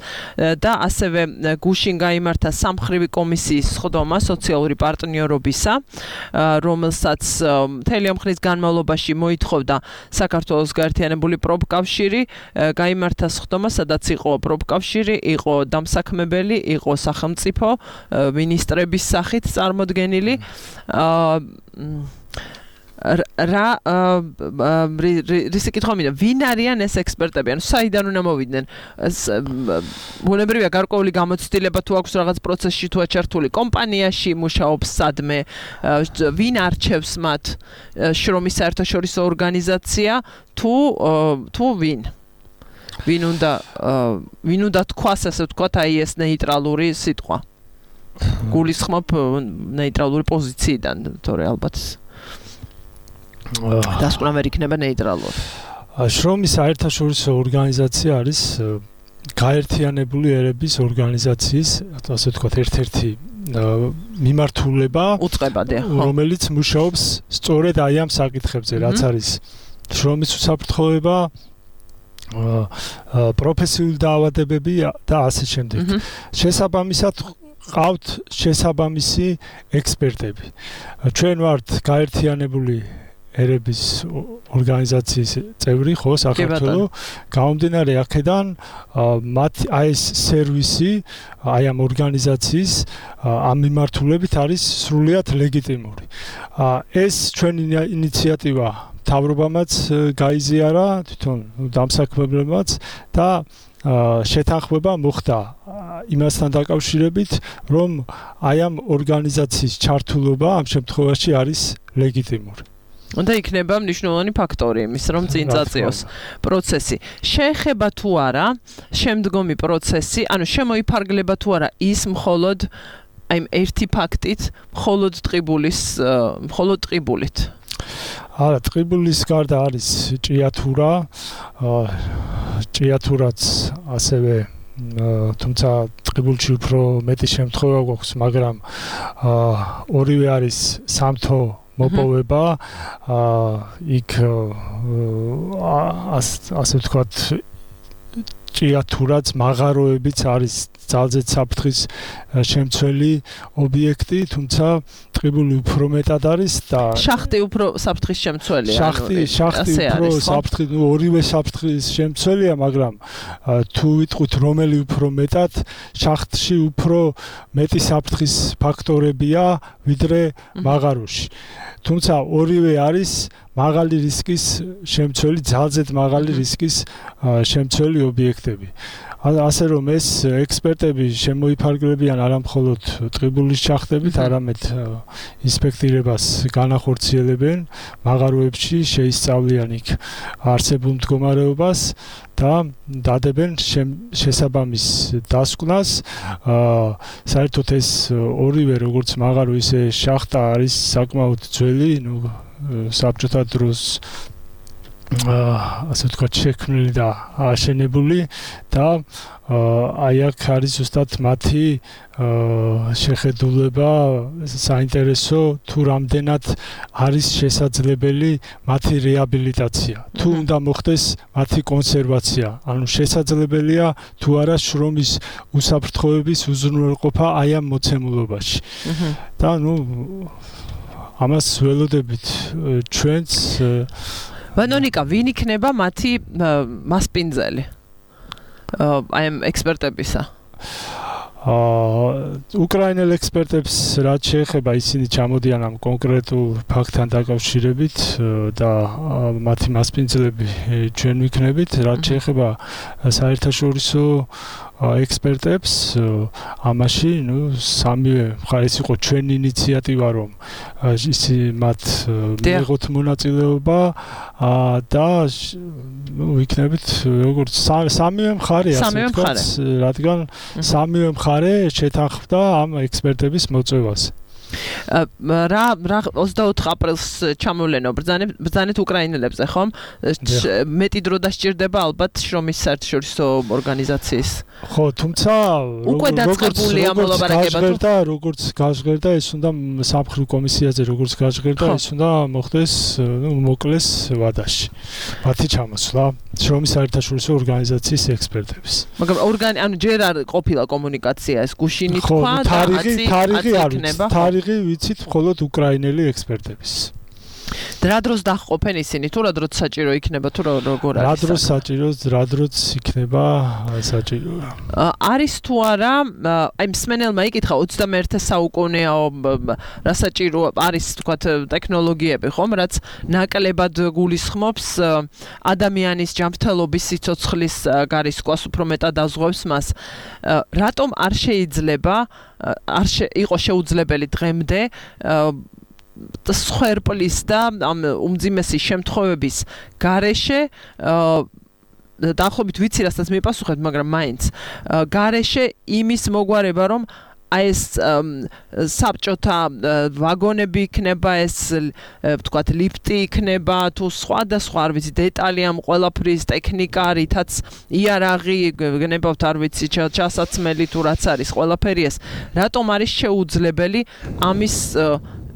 და ასევე გუშინ გაიმართა სამხრივი კომისიის ხდომა სოციალური პარტნიორობისა, რომელსაც მთელი ამ ხნის განმავლობაში მოითხოვდა საქართველოს გაერთიანებული პროფკავშირი, გაიმართა ხდომა, სადაც იყო პროფკავშირი, იყო დამსაქმებელი, იყო სახელმწიფო მინისტრების სახით წარმოდგენილი. რა რისი კითხვა მინდა ვინ არიან ეს ექსპერტები ანუ საიდან უნდა მოვიდნენ ბუნებრივია გარკვეული გამოცდილება თუ აქვს რაღაც პროცესში თუ აჩართული კომპანიაში მუშაობს სადმე ვინ არჩევს მათ შრომის საერთაშორისო ორგანიზაცია თუ თუ ვინ ვინ უნდა ვინ უნდა თქვას ასე ვთქვათ აი ეს ნეიტრალური სიტყვა გულისხმობ ნეიტრალური პოზიციიდან თორე ალბათ დასკვნა ვერ იქნება ნეიტრალური. შრომის საერთაშორისო ორგანიზაცია არის გაერთიანებული ერების ორგანიზაციის, ასე ვთქვათ, ერთ-ერთი მიმართულება, რომელიც მუშაობს სწორედ აი ამ საკითხებზე, რაც არის შრომის უსაფრთხოება, პროფესიული დაავადებები და ასე შემდეგ. შესაბამისად ყავთ შესაბამისი ექსპერტები. ჩვენ ვართ გაერთიანებული ერების ორგანიზაციის წევრი, ხო, საქართველო, გამომდინარე აქედან მათ აი ეს სერვისი, აი ამ ორგანიზაციის ამ მიმართულებით არის სრულიად ლეგიტიმური. ეს ჩვენი ინიციატივა მთავრობამაც გაიზიარა, თვითონ დამსაქმებლებმაც და შეთანხმება მოხდა იმასთან დაკავშირებით, რომ აი ამ ორგანიზაციის ჩართულობა ამ შემთხვევაში არის ლეგიტიმური. უნდა იქნება მნიშვნელოვანი ფაქტორი იმის, რომ წინ წაწიოს პროცესი. შეეხება თუ არა შემდგომი პროცესი, ანუ შემოიფარგლება თუ არა ის მხოლოდ აი ერთი ფაქტით, მხოლოდ ტყიბულის, მხოლოდ ტყიბულით. არა, ტყიბულის გარდა არის ჭიათურა, ჭიათურაც ასევე თუმცა ტყიბულში უფრო მეტი შემთხვევა გვაქვს, მაგრამ ორივე არის სამთო მოპოვება, იქ ასე ვთქვათ ჭიათურაც მაღაროებიც არის ძალზედ საფრთხის შემცველი ობიექტი, თუმცა ტყიბული უფრო მეტად არის და შახტი უფრო საფრთხის შემცველია. შახტი, შახტი უფრო საფრთხის, ნუ ორივე საფრთხის შემცველია, მაგრამ თუ ვიტყვით რომელი უფრო მეტად, შახტში უფრო მეტი საფრთხის ფაქტორებია ვიდრე მაღაროში. თუმცა ორივე არის მაღალი რისკის შემცველი, ძალზედ მაღალი რისკის შემცველი ობიექტები. ასე რომ ეს ექსპერტები შემოიფარგლებიან არა მხოლოდ ტყიბულის ჩახდებით, არამედ ინსპექტირებას განახორციელებენ მაღაროებში, შეისწავლიან იქ არსებულ მდგომარეობას და დადებენ შესაბამის დასკვნას. საერთოდ ეს ორივე როგორც მაღარო ისე შახტა არის საკმაოდ ძველი, ნუ საბჭოთა დროს ასე ვთქვათ შექმნილი და აშენებული და აი აქ არის ზუსტად მათი შეხედულება საინტერესო თუ რამდენად არის შესაძლებელი მათი რეაბილიტაცია, თუ უნდა მოხდეს მათი კონსერვაცია, ანუ შესაძლებელია თუ არა შრომის უსაფრთხოების უზრუნველყოფა აი ამ მოცემულობაში. და ნუ ამას ველოდებით ჩვენც ვანონიკა, ვინ იქნება მათი მასპინძელი? აი ამ ექსპერტებისა. უკრაინელ ექსპერტებს რაც შეეხება, ისინი ჩამოდიან ამ კონკრეტულ ფაქტთან დაკავშირებით და მათი მასპინძლები ჩვენ ვიქნებით, რაც შეეხება საერთაშორისო ექსპერტებს, ამაში, ნუ სამივე მხარეს იყო ჩვენი ინიციატივა, რომ ისი მათ მიიღოთ მონაწილეობა და ვიქნებით როგორც სამივე მხარე, ასე ვთქვათ, რადგან სამივე მხარე შეთანხმდა ამ ექსპერტების მოწვევას. რა რა ოცდაოთხ აპრილს ჩამოვლენო ბრძანეთ უკრაინელებზე, ხომ? მეტი დრო დასჭირდება ალბათ შრომის საერთაშორისო ორგანიზაციის. ხო, თუმცა უკვე დაწყებულია მოლაპარაკება თუ და როგორც გაჟღერდა, ეს უნდა სამხედრო კომისიაზე როგორც გაჟღერდა, ეს უნდა მოხდეს, ნუ მოკლეს ვადაში. მათი ჩამოსვლა შრომის საერთაშორისო ორგანიზაციის ექსპერტების. მაგრამ ორგანი, ანუ ჯერ არ ყოფილა კომუნიკაცია, ეს გუშინი თქვა და თარიღი თარიღი არის. თარიღი ვიცით მხოლოდ უკრაინელი ექსპერტების. რა დროს დაჰყოფენ ისინი თუ რა დროს საჭირო იქნება თუ როგორ არის? რა დროს საჭირო, რა დროს იქნება საჭირო? არის თუ არა, აი მსმენელმა იკითხა ოცდამეერთე საუკუნეო რა საჭირო არის თქვათ ტექნოლოგიები ხომ, რაც ნაკლებად გულისხმობს ადამიანის ჯანმრთელობის სიცოცხლის გარისკვას უფრო მეტად დაზღვევს მას. რატომ არ შეიძლება არ იყო შეუძლებელი დღემდე სხერპლის და ამ უმძიმესი შემთხვევების გარეშე დაახლოებით ვიცი რასაც მიპასუხეთ, მაგრამ მაინც გარეშე იმის მოგვარება, რომ აი ეს საბჭოთა ვაგონები იქნება, ეს ვთქვათ ლიფტი იქნება, თუ სხვა და სხვა არ ვიცი დეტალი ამ ყველაფრის ტექნიკა, რითაც იარაღი გნებავთ არ ვიცი ჩასაცმელი თუ რაც არის ყველაფერი ეს, რატომ არის შეუძლებელი ამის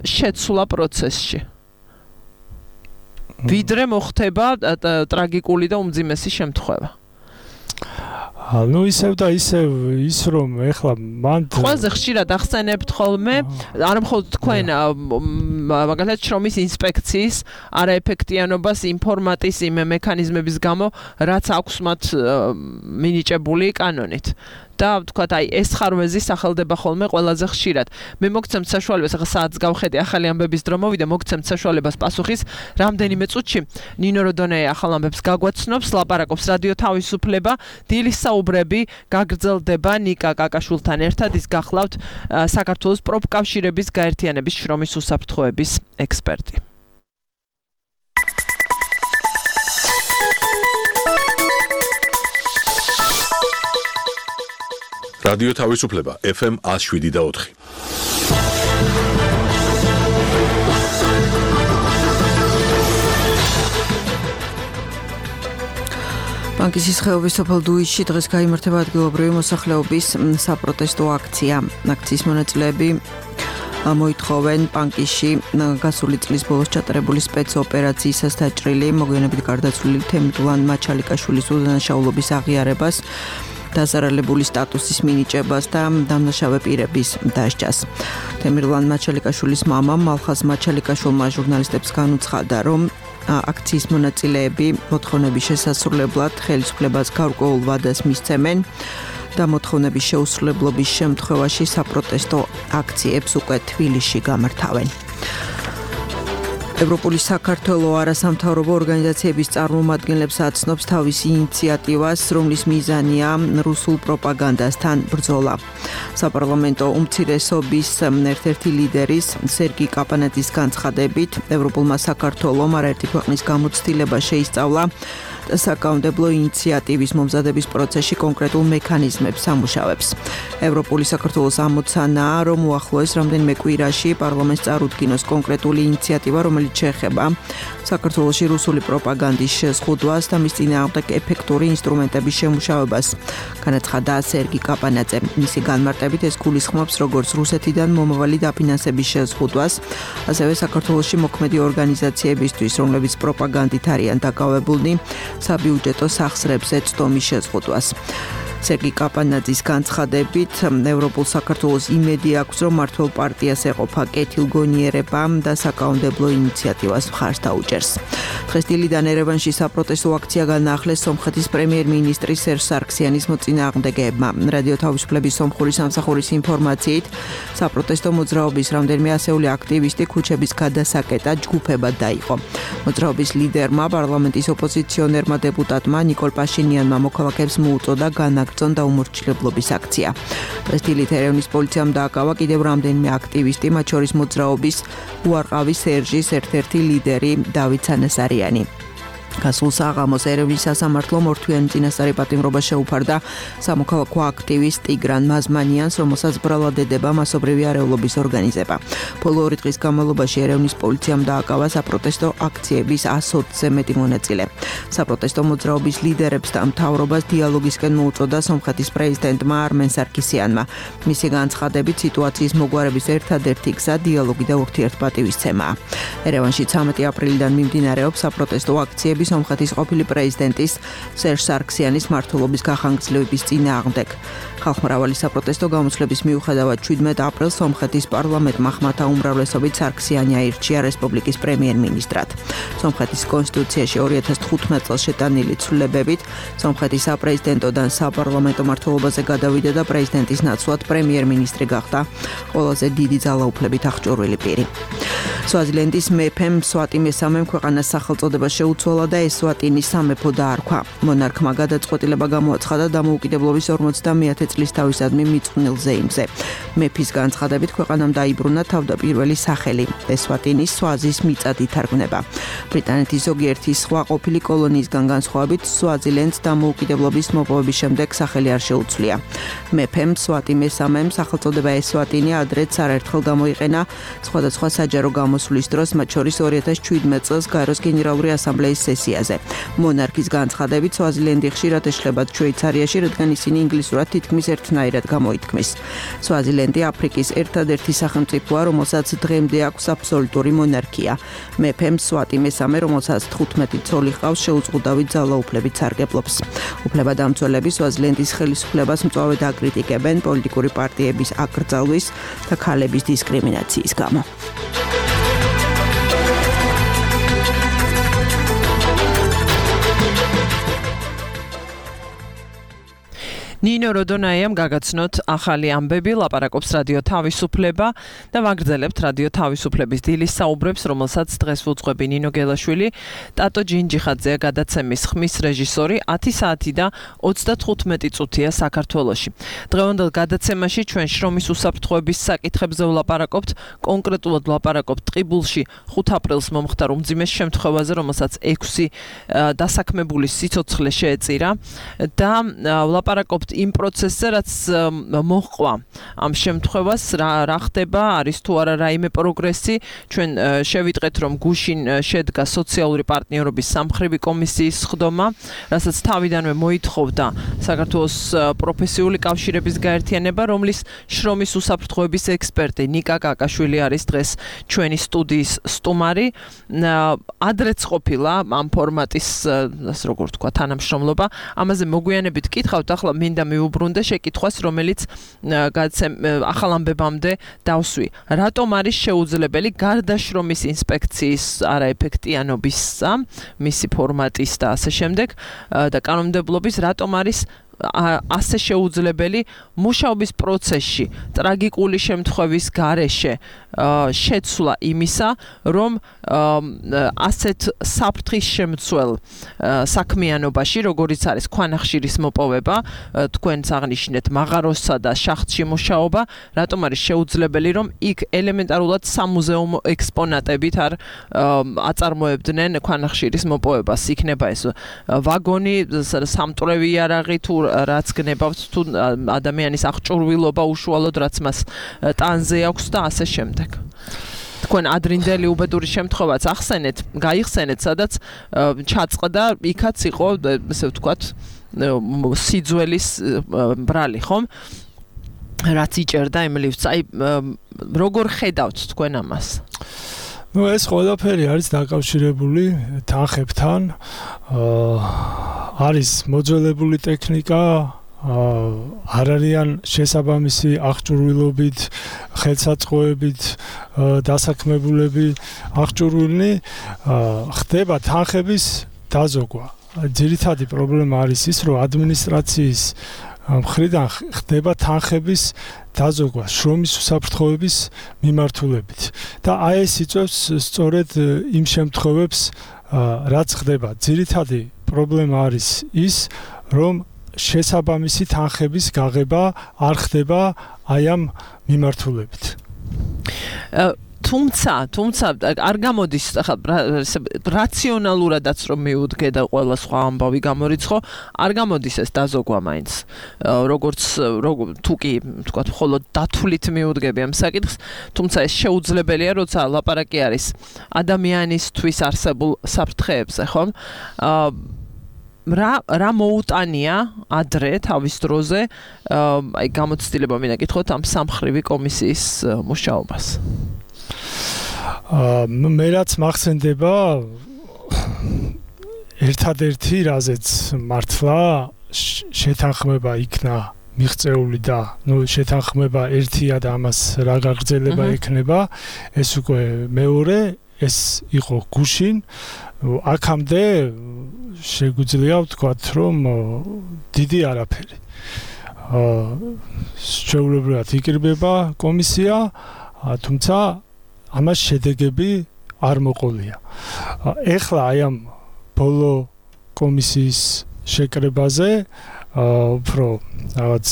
შეცვლა პროცესში? ვიდრე მოხდება ტრაგიკული და უმძიმესი შემთხვევა. ну ისევ და ისევ ის რომ ეხლა მან ყველაზე ხშირად ახსენებთ ხოლმე არა მხოლოდ თქვენ მაგალითად შრომის ინსპექციის არაეფექტიანობას ინფორმატის იმ მექანიზმების გამო რაც აქვს მათ მინიჭებული კანონით და თქვათ აი ეს ხარვეზი სახელდება ხოლმე ყველაზე ხშირად. მე მოგცემთ საშუალებას ახლა საათს გავხედე ახალი ამბების დრო მოვიდა მოგცემთ საშუალებას პასუხის რამდენიმე წუთში ნინო როდონეი ახალ ამბებს გაგვაცნობს ლაპარაკობს რადიო თავისუფლება დილის საუბრები გაგრძელდება ნიკა კაკაშვილთან ერთად ის გახლავთ საქართველოს პროფკავშირების გაერთიანების შრომის უსაფრთხოების ექსპერტი. რადიო თავისუფლება ეფ ემ one oh seven და four. ბანკის ხეობის სოფელ დუისში დღეს გაიმართება ადგილობრივი მოსახლეობის საპროტესტო აქცია. აქციის მონაწილეები მოითხოვენ ბანკში გასული წლის ბოლოს ჩატარებული სპეცოპერაციისას დაჭრილი მოგვიანებით გარდაცვლილი თემირლან მაჩალიკაშვილის უდანაშაულობის აღიარებას დაზარალებული სტატუსის მინიჭებას და დამნაშავე პირების დასჯას. თემირლან მაჩალიკაშვილის მამამ მალხაზ მაჩალიკაშვილმა ჟურნალისტებს განუცხადა, რომ აქციის მონაწილეები მოთხოვნების შესასრულებლად ხელისუფლებას გარკვეულ ვადას მისცემენ და მოთხოვნების შეუსრულებლობის შემთხვევაში საპროტესტო აქციებს უკვე თბილისში გამართავენ. ევროპული საქართველო არასამთავრობო ორგანიზაციების წარმომადგენლებს აცნობს თავის ინიციატივას, რომლის მიზანია რუსულ პროპაგანდასთან ბრძოლა. საპარლამენტო უმცირესობის ერთ-ერთი ლიდერის სერგი კაპანაძის განცხადებით, ევროპულმა საქართველომ არაერთი ქვეყნის გამოცდილება შეისწავლა და საკანონმდებლო ინიციატივის მომზადების პროცესში კონკრეტულ მექანიზმებს ამუშავებს. ევროპული საქართველოს ამოცანაა, რომ უახლოეს რამდენიმე კვირაში პარლამენტს წარუდგინოს კონკრეტული ინიციატივა, რომელიც შეეხება საქართველოში რუსული პროპაგანდის შეზღუდვას და მის წინააღმდეგ ეფექტური ინსტრუმენტების შემუშავებას. განაცხადა სერგი კაპანაძე. მისი განმარტებით ეს გულისხმობს როგორც რუსეთიდან მომავალი დაფინანსების შეზღუდვას, ასევე საქართველოში მოქმედი ორგანიზაციებისთვის, რომლებიც პროპაგანდით არიან დაკავებულნი, საბიუჯეტო სახსრებზე წტომის შეზღუდვას. სერგი კაპანაძის განცხადებით, ევროპულ საქართველოს იმედი აქვს, რომ მართლ პარტიას ეყოფა კეთილგონიერება და საკანონმდებლო ინიციატივას მხარს დაუჭერს. დღეს დილიდან ერევანში საპროტესტო აქცია განაახლეს სომხეთის პრემიერ-მინისტრის სერჟ სარქსიანის მოწინააღმდეგეებმა. რადიო თავისუფლების სომხური სამსახურის ინფორმაციით, საპროტესტო მოძრაობის რამდენიმე ასეული აქტივისტი ქუჩების გადასაკეტად ჯგუფებად დაიყო. მოძრაობის ლიდერმა, პარლამენტის ოპოზიციონერმა დეპუტატმა ნიკოლ პაშინიანმა მოქალაქეებს მოუწოდა განაგრძონ და უმორჩილებლობის აქცია. დღეს დილით ერევნის პოლიციამ დააკავა კიდევ რამდენიმე აქტივისტი, მათ შორის მოძრაობის უარყავის სერჟის ერთ-ერთი ლიდერი დავით სანასარიანი. გასულ საღამოს ერევნის სასამართლომ ორთვიანი წინასწარი პატიმრობა შეუფარდა სამოქალაქო აქტივისტ ტიგრან მაზმანიანს, რომელსაც ბრალად ედება მასობრივი არეულობის ორგანიზება. ბოლო ორი დღის განმავლობაში ერევნის პოლიციამ დააკავა საპროტესტო აქციების one hundred-ზე მეტი მონაწილე. საპროტესტო მოძრაობის ლიდერებს და მთავრობას დიალოგისკენ მოუწოდა სომხეთის პრეზიდენტმა არმენ სარკისიანმა. მისი განცხადებით, სიტუაციის მოგვარების ერთადერთი გზა დიალოგი და ურთიერთპატივისცემაა. ერევანში ცამეტი აპრილიდან მიმდინარეობს საპროტესტო აქციები პროტესტები სომხეთის ყოფილი პრეზიდენტის სერჟ სარქსიანის მმართველობის გახანგრძლივების წინააღმდეგ. ხალხმრავალი საპროტესტო გამოსვლების მიუხედავად შვიდმეტ აპრილს სომხეთის პარლამენტმა ხმათა უმრავლესობით სარქსიანი აირჩია რესპუბლიკის პრემიერ-მინისტრად. სომხეთის კონსტიტუციაში ორი ათას თხუთმეტ წელს შეტანილი ცვლილებებით სომხეთის საპრეზიდენტო და საპარლამენტო მმართველობაზე გადავიდა და პრეზიდენტის ნაცვლად პრემიერ-მინისტრი გახდა ყველაზე დიდი ძალაუფლებით აღჭურვილი პირი. სვაზილენდის მეფემ სვატი მესამემ ქვეყანას სახელწოდება შეუცვალა და ესვატინის სამეფო დაარქვა. მონარქმა გადაწყვეტილება გამოაცხადა დამოუკიდებლობის ორმოცდამეათე წლის თავისადმი მიწყვნილ ზეიმზე. მეფის განცხადებით ქვეყანამ დაიბრუნა თავდაპირველი სახელი. ესვატინის სვაზის მიწად ითარგმნება. ბრიტანეთის ზოგიერთი სხვა ყოფილი კოლონიისგან განსხვავებით სვაზილენდს დამოუკიდებლობის მოპოვების შემდეგ სახელი არ შეუცვლია. მეფემ სვატი მესამემ სახელწოდება ესვატინი ადრეც არაერთხელ გამოიყენა სხვადასხვა საჯარო გამოსვლის დროს, მათ შორის ორი ათას შვიდმეტ წელს გაეროს გენერალური ასამბლეის სესიაზე. მონარქის განცხადებით სვაზილენდი ხშირად ეშლებათ შვეიცარიაში, რადგან ისინი ინგლისურად თითქმის ერთნაირად გამოითქმის. სვაზილენდი აფრიკის ერთადერთი სახელმწიფოა, რომელსაც დღემდე აქვს აბსოლუტური მონარქია. მეფემ სვატი მესამე, რომელსაც თხუთმეტი ცოლი ჰყავს, შეუზღუდავი ძალაუფლებით სარგებლობს. უფლებადამცველები სვაზილენდის ხელისუფლებას მწვავედ აკრიტიკებენ პოლიტიკური პარტიების აკრძალვის და ქალების დისკრიმინაციის გამო. ნინო როდონაიამ გაგაცნოთ ახალი ამბები, ლაპარაკობს რადიო თავისუფლება და ვაგრძელებთ რადიო თავისუფლების დილის საუბრებს, რომელსაც დღეს ვუძღვები ნინო გელაშვილი, ტატო ჯინჯიხაძეა გადაცემის ხმის რეჟისორი, ათი საათი და ოცდათხუთმეტი წუთია საქართველოში. დღევანდელ გადაცემაში ჩვენ შრომის უსაფრთხოების საკითხებზე ვლაპარაკობთ, კონკრეტულად ვლაპარაკობთ ტყიბულში ხუთ აპრილს მომხდარ უმძიმეს შემთხვევაზე, რომელსაც ექვსი დასაქმებული სიცოცხლე შეეწირა და ვლაპარაკობთ იმ პროცესზე, რაც მოჰყვა ამ შემთხვევას, რა რა ხდება, არის თუ არა რაიმე პროგრესი. ჩვენ შევიტყეთ, რომ გუშინ შედგა სოციალური პარტნიორობის სამმხრივი კომისიის სხდომა, რასაც თავიდანვე მოითხოვდა საქართველოს პროფესიული კავშირების გაერთიანება, რომლის შრომის უსაფრთხოების ექსპერტი ნიკა კაკაშვილი არის დღეს ჩვენი სტუდიის სტუმარი. ადრეც ყოფილა ამ ფორმატის, ასე როგორ ვთქვა, თანამშრომლობა. ამაზე მოგვიანებით კითხავთ, ახლა მინდა მიუბრუნდე შეკითხვას, რომელიც ახალ ამბებამდე დავსვი. რატომ არის შეუძლებელი გარდა შრომის ინსპექციის არაეფექტიანობისა, მისი ფორმატის და ასე შემდეგ და კანონმდებლობის, რატომ არის ასე შეუძლებელი მუშაობის პროცესში ტრაგიკული შემთხვევის გარეშე შეცვლა იმისა, რომ ასეთ საფრთხის შემცველ საქმიანობაში, როგორიც არის ქვანახშირის მოპოვება, თქვენც აღნიშნეთ მაღაროსსა და შახტში მუშაობა, რატომ არის შეუძლებელი, რომ იქ ელემენტარულად სამუზეუმო ექსპონატებით არ აწარმოებდნენ ქვანახშირის მოპოვებას. იქნება ეს ვაგონი, სამტვრევი იარაღი თუ რაც გნებავთ, თუ ადამიანის აღჭურვილობა უშუალოდ რაც მას ტანზე აქვს და ასე შემდეგ. თქვენ ადრინდელი უბედური შემთხვევაც ახსენეთ, გაიხსენეთ, სადაც ჩაწყდა, იქაც იყო, ესე ვთქვათ, სიძველის ბრალი, ხომ? რაც იჭერდა იმ ლიფტს. აი, როგორ ხედავთ თქვენ ამას? ნუ ეს ყველაფერი არის დაკავშირებული თანხებთან. არის მოძველებული ტექნიკა, არ არიან შესაბამისი აღჭურვილობით, ხელსაწყოებით დასაქმებულები აღჭურვილნი, ხდება თანხების დაზოგვა. ძირითადი პრობლემა არის ის, რომ ადმინისტრაციის მხრიდან ხდება თანხების დაზოგვა შრომის უსაფრთხოების მიმართულებით. და აი ეს იწვევს სწორედ იმ შემთხვევებს, რაც ხდება. ძირითადი პრობლემა არის ის, რომ შესაბამისი თანხების გაღება არ ხდება აი ამ მიმართულებით. თუმცა, თუმცა არ გამოდის რაციონალურადაც რომ მიუდგე და ყველა სხვა ამბავი გამორიცხო, არ გამოდის ეს დაზოგვა მაინც. როგორც თუ კი, თქვათ, მხოლოდ დათვლით მიუდგები ამ საკითხს, თუმცა ეს შეუძლებელია, როცა ლაპარაკი არის ადამიანისთვის არსებულ საფრთხეებზე, ხომ? რა რა მოუტანია ადრე თავის დროზე, აი გამოცდილება მინდა გითხოთ ამ სამმხრივი კომისიის მუშაობას. მე რაც მახსენდება, ერთადერთი რაზეც მართლა შეთანხმება იქნა მიღწეული და ნუ შეთანხმება ერთია და ამას რა გაგრძელება ექნება ეს უკვე მეორე ეს იყო გუშინ აქამდე შეგვიძლია ვთქვათ რომ დიდი არაფერი შეულებრივად იკრიბება კომისია თუმცა ამას შედეგები არ მოყოლია ეხლა აი ამ ბოლო კომისიის შეკრებაზე უფრო რაღაც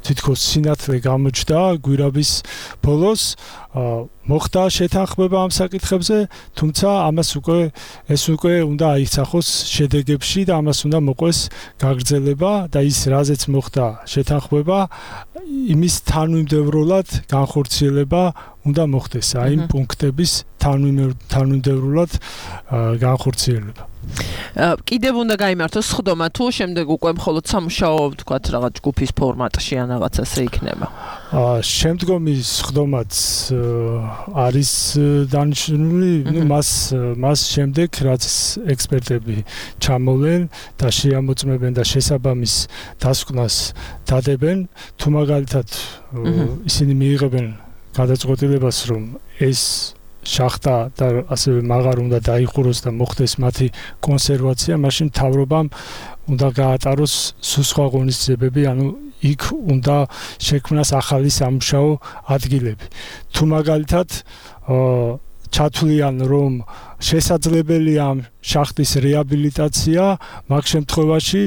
თითქოს სინათლე გამოჩნდა გვირაბის ბოლოს მოხდა შეთანხმება ამ საკითხებზე თუმცა ამას უკვე ეს უკვე უნდა აიხსახოს შედეგებში და ამას უნდა მოყვეს გაგრძელება და ის რაზეც მოხდა შეთანხმება იმის თანმიმდევრულად განხორციელება უნდა მოხდეს აი იმ პუნქტების თანმიმდევრულად განხორციელება კიდევ უნდა გაიმართოს სხდომა თუ შემდეგ უკვე მხოლოდ სამუშაო ვთქვათ რაღაც ჯგუფის ფორმატში ან რაღაც ასე იქნება შემდგომი სხდომაც არის დანიშნული ნუ მას მას შემდეგ რაც ექსპერტები ჩამოვლენ და შეამოწმებენ და შესაბამის დასკვნას დადებენ თუ მაგალითად ისინი მიიღებენ გადაწყვეტილებას რომ ეს შახტა და ასევე მაღარ უნდა დაიხუროს და მოხდეს მათი კონსერვაცია მაშინ მთავრობამ უნდა გაატაროს სხვა ღონისძიებები ანუ იქ უნდა შექმნას ახალი სამუშაო ადგილები თუ მაგალითად ჩათვლიან რომ შესაძლებელია შახტის რეაბილიტაცია მაგ შემთხვევაში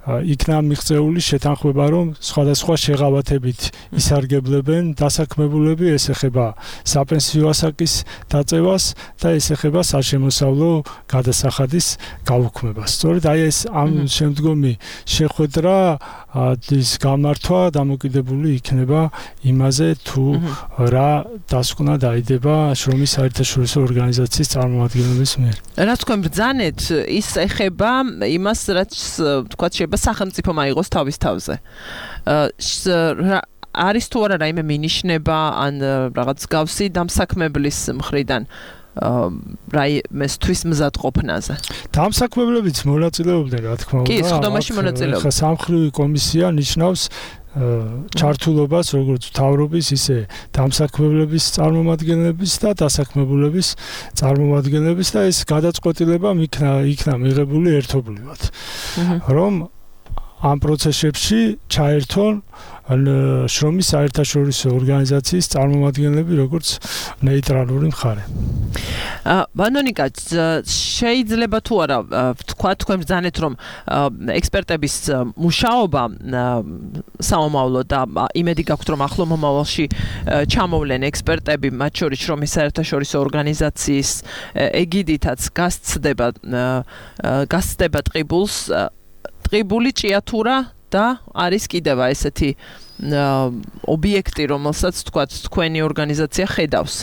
იქნა მიღწეული შეთანხმება რომ სხვადასხვა შეღავათებით ისარგებლებენ დასაქმებულები ეს ეხება საპენსიო ასაკის დაწევას და ეს ეხება საშემოსავლო გადასახადის გაუქმებას სწორედ აი ეს ამ შემდგომი შეხვედრა ის გამართვა დამოკიდებული იქნება იმაზე თუ რა დასკვნა დაიდება შრომის საერთაშორისო ორგანიზაციის წარმომადგენლების მიერ რაც თქვენ ბრძანეთ ის ეხება იმას რაც თქვა შეიძლება სახელმწიფო მაიღოს თავის თავზე არის თუ არა რაიმე მინიშნება ან რაღაც გავსი დამსაქმებლის მხრიდან რაიმესთვის მზადყოფნაზე დამსაქმებლებიც მონაწილეობდნენ რა თქმა უნდა კი სხდომაში მონაწილეობდნენ ხა სამხრივი კომისია ნიშნავს ჩართულობას როგორც მთავრობის ისე დამსაქმებლების წარმომადგენლების და დასაქმებულების წარმომადგენლების და ეს გადაწყვეტილება იქნა იქნა მიღებული ერთობლივად რომ ამ პროცესებში ჩაერთონ შრომის საერთაშორისო ორგანიზაციის წარმომადგენლები როგორც ნეიტრალური მხარე. ბანონიკა შეიძლება თუ არა თქვა თქვენ ბრძანეთ რომ ექსპერტების მუშაობა საომავლო და იმედი გაქვთ რომ ახლო მომავალში ჩამოვლენ ექსპერტები მათ შორის შრომის საერთაშორისო ორგანიზაციის ეგიდითაც გასცდება გასცდება ტყიბულს ტყიბული ჭიათურა და არის კიდევ ესეთი ობიექტი რომელსაც თქვა თქვენი ორგანიზაცია ხედავს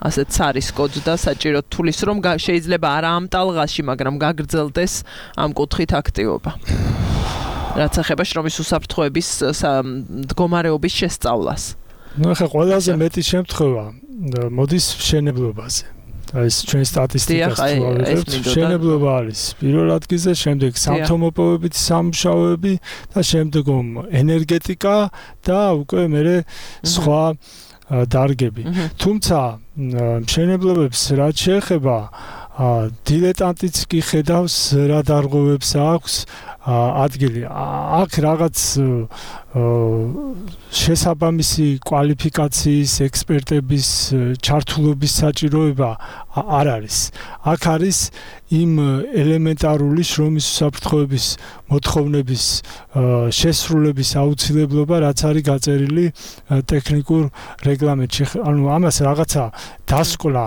ასეთ ცარის კოდს და საჭირო თulis რომ შეიძლება არა ამ ტალღაში მაგრამ გაგრძელდეს ამ კუთხით აქტივობა რაც ეხება შრომის უსაფრთხოების მდგომარეობის შესწავლას ნუ ახლა ყველაზე მეტი შემთხვევა მოდის მშენებლობაზე ეს ჩვენ სტატისტიკას ვავიღებთ მშენებლობა არის პირველ ადგილზე შემდეგ სამთო-მოპოვებით სამუშაოები და შემდგომ ენერგეტიკა და უკვე მერე სხვა დარგები თუმცა მშენებლობებს რაც შეეხება დილეტანტიც კი ხედავს რა დარღვევებს აქვს ადგილი აქ რაღაც შესაბამისი კვალიფიკაციის ექსპერტების ჩართულობის საჭიროება არ არის აქ არის იმ ელემენტარული შრომის უსაფრთხოების მოთხოვნების შესრულების აუცილებლობა რაც არის გაწერილი ტექნიკურ რეგლამენტში ანუ ამას რაღაცა დასკვნა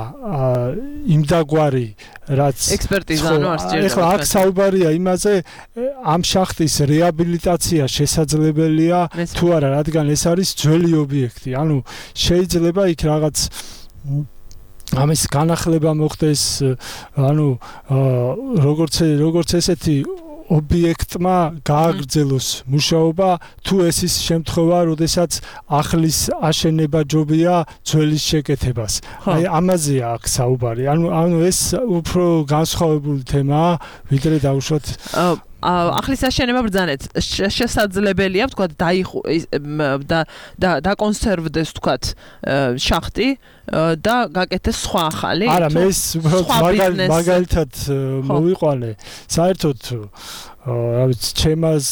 იმდაგვარი რაც ექსპერტიზა ანუ არ სჭირდება ეხლა აქ საუბარია იმაზე ამ შახტის რეაბილიტაცია შესაძლებელია თუ არა რადგან ეს არის ძველი ობიექტი ანუ შეიძლება იქ რაღაც ამის განახლება მოხდეს ანუ როგორც როგორც ესეთი ობიექტმა გააგრძელოს მუშაობა, თუ ეს ის შემთხვევა, როდესაც ახლის აშენება ჯობია ძველის შეკეთებას. აი ამაზეა აქ საუბარი. ანუ ანუ ეს უფრო განსხვავებული თემაა, ვიდრე დავუშვათ ახლის აშენება ბრძანეთ შესაძლებელია ვთქვათ დაიხო და დაკონსერვდეს ვთქვათ შახტი და გაკეთდეს სხვა ახალი არა მე ეს მაგალითად მოვიყვანე საერთოდ რა ვიცი ჩემას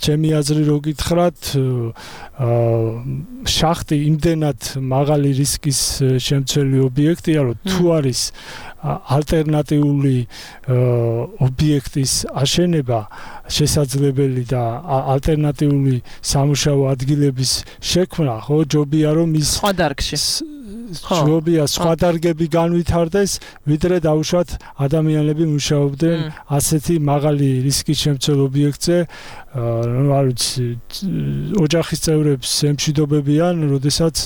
ჩემი აზრი რო გითხრათ შახტი იმდენად მაღალი რისკის შემცველი ობიექტია რომ თუ არის ალტერნატიული ობიექტის აშენება შესაძლებელი და ალტერნატიული სამუშაო ადგილების შექმნა ხო ჯობია რომ ის სხვა დარგში ჯობია სხვა დარგები განვითარდეს ვიდრე დაუშვათ ადამიანები მუშაობდნენ ასეთი მაღალი რისკის შემცველ ობიექტზე ну არ ვიცი ოჯახის წევრებს ემშვიდობებიან როდესაც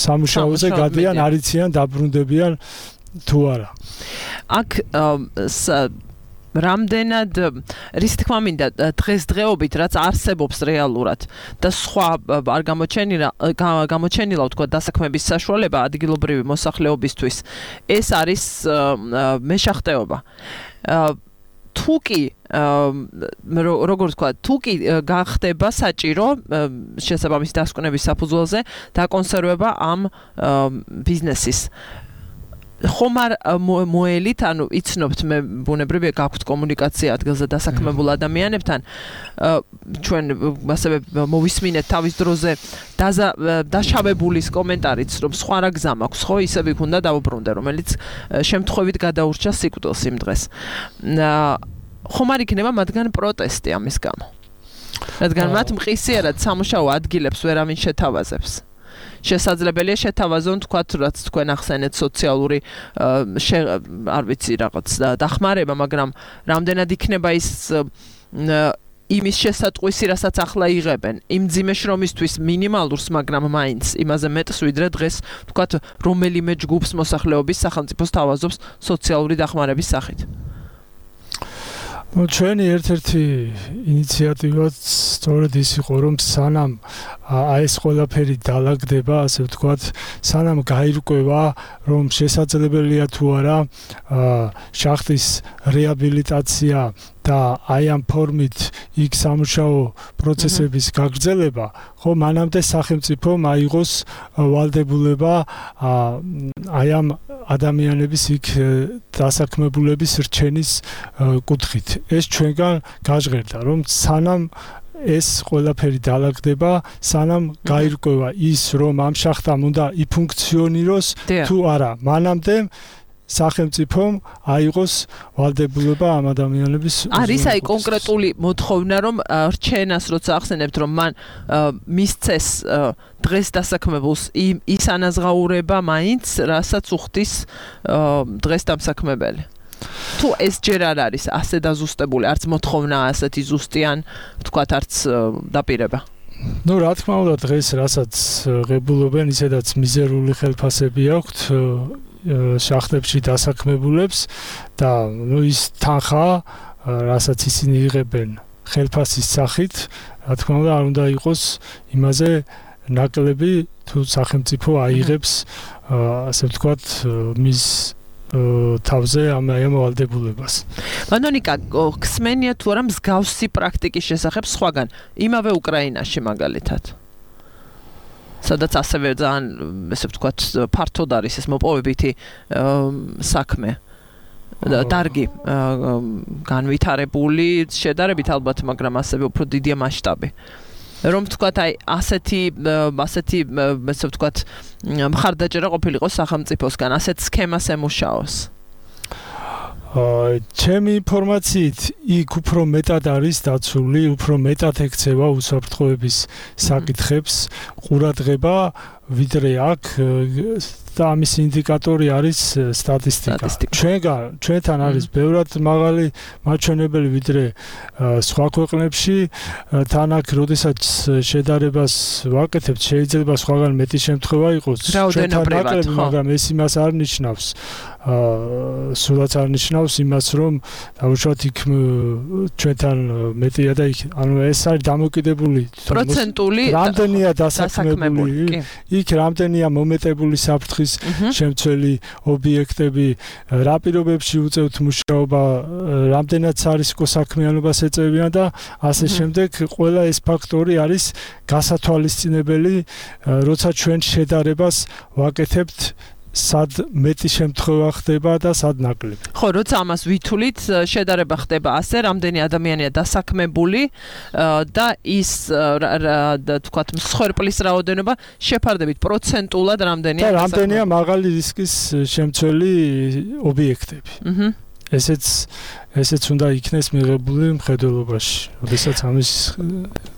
სამუშაოზე გადიან არიციან დაბრუნდებიან თუ არა აქ რამდენად რის თქმა მინდა დღესდღეობით რაც არსებობს რეალურად და სხვა არ გამოჩენილა გამოჩენილა ვთქვა დასაქმების საშუალება ადგილობრივი მოსახლეობისთვის ეს არის მეშახტეობა თუკი როგორ ვთქვა თუკი გახდება საჭირო შესაბამისი დასკვნების საფუძველზე დაკონსერვება ამ ბიზნესის ხომ არ მოელით, ანუ იცნობთ მე ბუნებრივია გაქვთ კომუნიკაცია ადგილზე დასაქმებულ ადამიანებთან ჩვენ ასევე მოვისმინეთ თავის დროზე დაშავებულის კომენტარიც რომ სხვა რა გზა მაქვს ხო ისე ვიქ უნდა დავუბრუნდე რომელიც შემთხვევით გადაურჩა სიკვდილს იმ დღეს ხომ არ იქნება მათგან პროტესტი ამის გამო რადგან მათ მყისიერად სამუშაო ადგილებს ვერავინ შეთავაზებს შესაძლებელია შეთავაზონ თქვათ რაც თქვენ ახსენეთ სოციალური არ ვიცი რაღაც დახმარება მაგრამ რამდენად იქნება ის იმის შესატყვისი რასაც ახლა იღებენ იმ ძიმე შრომისთვის მინიმალურს მაგრამ მაინც იმაზე მეტს ვიდრე დღეს თქვათ რომელიმე ჯგუფს მოსახლეობის სახელმწიფოს თავაზობს სოციალური დახმარების სახით ну ჩვენი ერთ-ერთი ინიციატივაც სწორედ ის იყო რომ სანამ აი ეს ყველაფერი დაალაგდება ასე ვთქვათ სანამ გაირკვევა რომ შესაძლებელია თუ არა შახტის რეაბილიტაცია და აი ამ ფორმით იქ სამუშაო პროცესების გაგრძელება, ხო მანამდე სახელმწიფომ აიღოს ვალდებულება აი ამ ადამიანების იქ დასაქმებულების რჩენის კუთხით. ეს ჩვენგან გაჟღერდა, რომ სანამ ეს ყველაფერი დაალაგდება, სანამ გაირკვევა ის, რომ ამ შახტამ უნდა იფუნქციონიროს თუ არა, მანამდე სახელმწიფომ აიღოს ვალდებულება ამ ადამიანების არის აი კონკრეტული მოთხოვნა რომ რჩენას როცა ახსენებთ რომ მან მისცეს დღეს დასაქმებულს ის ანაზღაურება მაინც რასაც უხდის დღეს დამსაქმებელი თუ ეს ჯერ არ არის ასე დაზუსტებული არც მოთხოვნა ასეთი ზუსტიან ვთქვათ არც დაპირება ну რა თქმა უნდა დღეს რასაც ღებულობენ ისედაც მიზერული ხელფასები აქვთ შახტებში დასაქმებულებს და ნუ ის თანხა რასაც ისინი იღებენ ხელფასის სახით რა თქმა უნდა არ უნდა იყოს იმაზე ნაკლები თუ სახელმწიფო აიღებს ასე ვთქვათ მის თავზე ამ ვალდებულებას. მანონიკა ხსმენია თუ არა მსგავსი პრაქტიკის შესახებ სხვაგან იმავე უკრაინაში მაგალითად სადაც ასევე ძალიან ესე ვთქვათ ფართოდ არის ეს მოპოვებითი საქმე დარგი განვითარებული შედარებით ალბათ მაგრამ ასევე უფრო დიდია მასშტაბი რომ ვთქვათ აი ასეთი ასეთი ესე ვთქვათ მხარდაჭერა ყოფილიყო სახელმწიფოსგან ასეთ სქემას ემუშაოს ჩემი ინფორმაციით იქ უფრო მეტად არის დაცული, უფრო მეტად ექცევა უსაფრთხოების საკითხებს, ყურადღება, ვიდრე აქ და ამის ინდიკატორი არის სტატისტიკა. ჩვენგან ჩვენთან არის ბევრად მაღალი მაჩვენებელი ვიდრე სხვა ქვეყნებში. თან აქ როდესაც შედარებას ვაკეთებთ, შეიძლება სხვაგან მეტი შემთხვევა იყოს. ჩვენთან ნაკლები, მაგრამ ეს იმას არ ნიშნავს. აა სულაც არ ნიშნავს იმას, რომ დაუშვათ იქ ჩვენთან მეტია და იქ ანუ ეს არის დამოკიდებული პროცენტული რამდენია დასაქმებული, იქ რამდენია მომეტებული საფრთხის შემცველი ობიექტები, რა პირობებში უწევთ მუშაობა, რამდენიც არის კოსაქმიანობას ეწევიან და ასე შემდეგ. ყველა ეს ფაქტორი არის გასათვალისწინებელი, როცა ჩვენ შედარებას ვაკეთებთ სად მეტი შემთხვევა ხდება და სად ნაკლები. ხო, როცა ამას ვითვლით, შედარება ხდება ასე, რამდენი ადამიანია დასაქმებული და ის თქვათ მსხვერპლის რაოდენობა შეფარდებით პროცენტულად რამდენია და რამდენია მაღალი რისკის შემცველი ობიექტები. აჰა. ესეც ესეც უნდა იქნეს მიღებული მხედველობაში, როდესაც ამის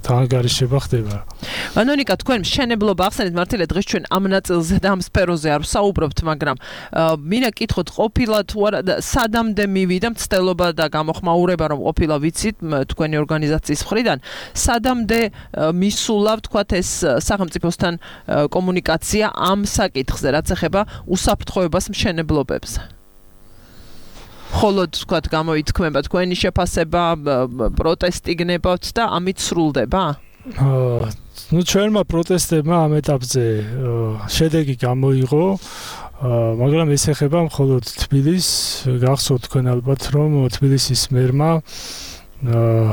დაანგარიშება ხდება. ანონიკა, თქვენ მშენებლობა ახსენეთ მართალია დღეს ჩვენ ამ ნაწილზე და ამ სფეროზე არ ვსაუბრობთ, მაგრამ მინდა კითხოთ, ყოფილა თუ არა სადამდე მივიდა მცდელობა და გამოხმაურება, რომ ყოფილა ვიცით თქვენი ორგანიზაციის მხრიდან, სადამდე მისულა, ვთქვათ, ეს სახელმწიფოსთან კომუნიკაცია ამ საკითხზე, რაც ეხება უსაფრთხოებას მშენებლობებზე. ხოლოდ თქვათ გამოითქმება თქვენი შეფასება, პროტესტი გნებავთ და ამით სრულდება? აა ნუ ჩვენმა პროტესტებმა ამ ეტაპზე შედეგი გამოიღო, მაგრამ ეს ეხება მხოლოდ თბილისს. გახსოვთ თქვენ ალბათ, რომ თბილისის მერმა აა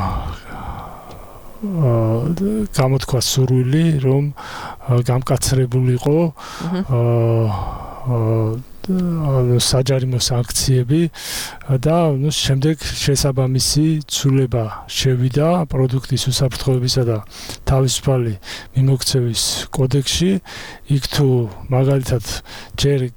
გამოთქვა სურვილი, რომ გამკაცრებულიყო აა საჯარიმო სანქციები და ნუ შემდეგ შესაბამისი ცვლილება შევიდა პროდუქტის უსაფრთხოებისა და თავისუფალი მიმოქცევის კოდექსში. იქ თუ მაგალითად ჯერ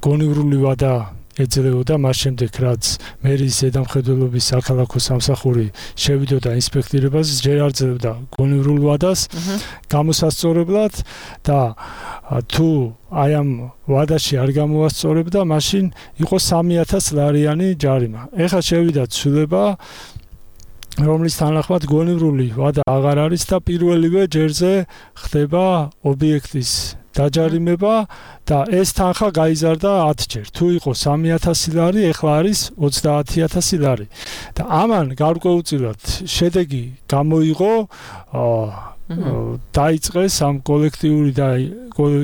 გონივრული ვადა ეძლეოდა, მას შემდეგ რაც მერის ზედამხედველობის საქალაქო სამსახური შევიდოდა ინსპექტირებას, ჯერ არ ძლევდა გონივრულ ვადას გამოსასწორებლად და თუ აი ამ ვადაში არ გამოასწორებდა, მაშინ იყო სამი ათას ლარიანი ჯარიმა. ეხლა შევიდა ცვლილება, რომლის თანახმად გონივრული ვადა აღარ არის და პირველივე ჯერზე ხდება ობიექტის დაჯარიმება და ეს თანხა გაიზარდა ათჯერ. თუ იყო სამი ათასი ლარი, ეხლა არის ოცდაათი ათასი ლარი. და ამან გარკვეულწილად შედეგი გამოიღო, დაიწყეს ამ კოლექტიური და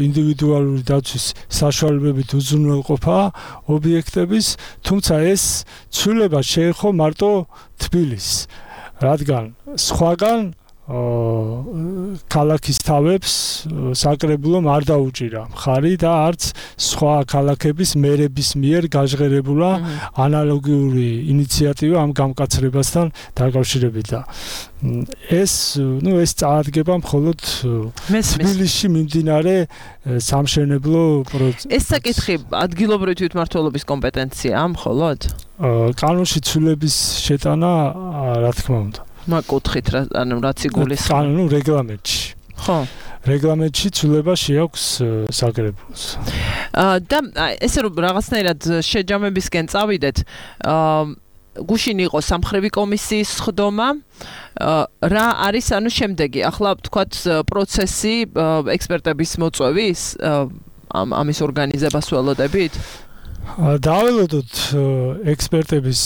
ინდივიდუალური დაცვის საშუალებებით უზრუნველყოფა ობიექტების, თუმცა ეს ცვლილება შეეხო მარტო თბილისს, რადგან სხვაგან ქალაქის თავებს საკრებულომ არ დაუჭირა მხარი და არც სხვა ქალაქების მერების მიერ გაჟღერებულა ანალოგიური ინიციატივა ამ გამკაცრებასთან დაკავშირებით და ეს ნუ ეს წარადგება მხოლოდ თბილისში მიმდინარე სამშენებლო პროცესში. ეს საკითხი ადგილობრივი თვითმმართველობის კომპეტენციაა მხოლოდ? კანონში ცვლილების შეტანა რა თქმა უნდა. მაკუთხით რა, ანუ რაც იგულისხმება. კანონო რეგლამენტში. ხო. რეგლამენტში ცვლილება შეაქვს საკრებულოს. აა და ესე რომ რაღაცნაირად შეჯამებისკენ წავიდეთ, აა გუშინ იყო სამხრივი კომისიის ხდომა, რა არის ანუ შემდეგი, ახლა ვთქვათ პროცესი ექსპერტების მოწვევის ამ ამის ორგანიზებას ველოდებით? დაველოდოთ ექსპერტების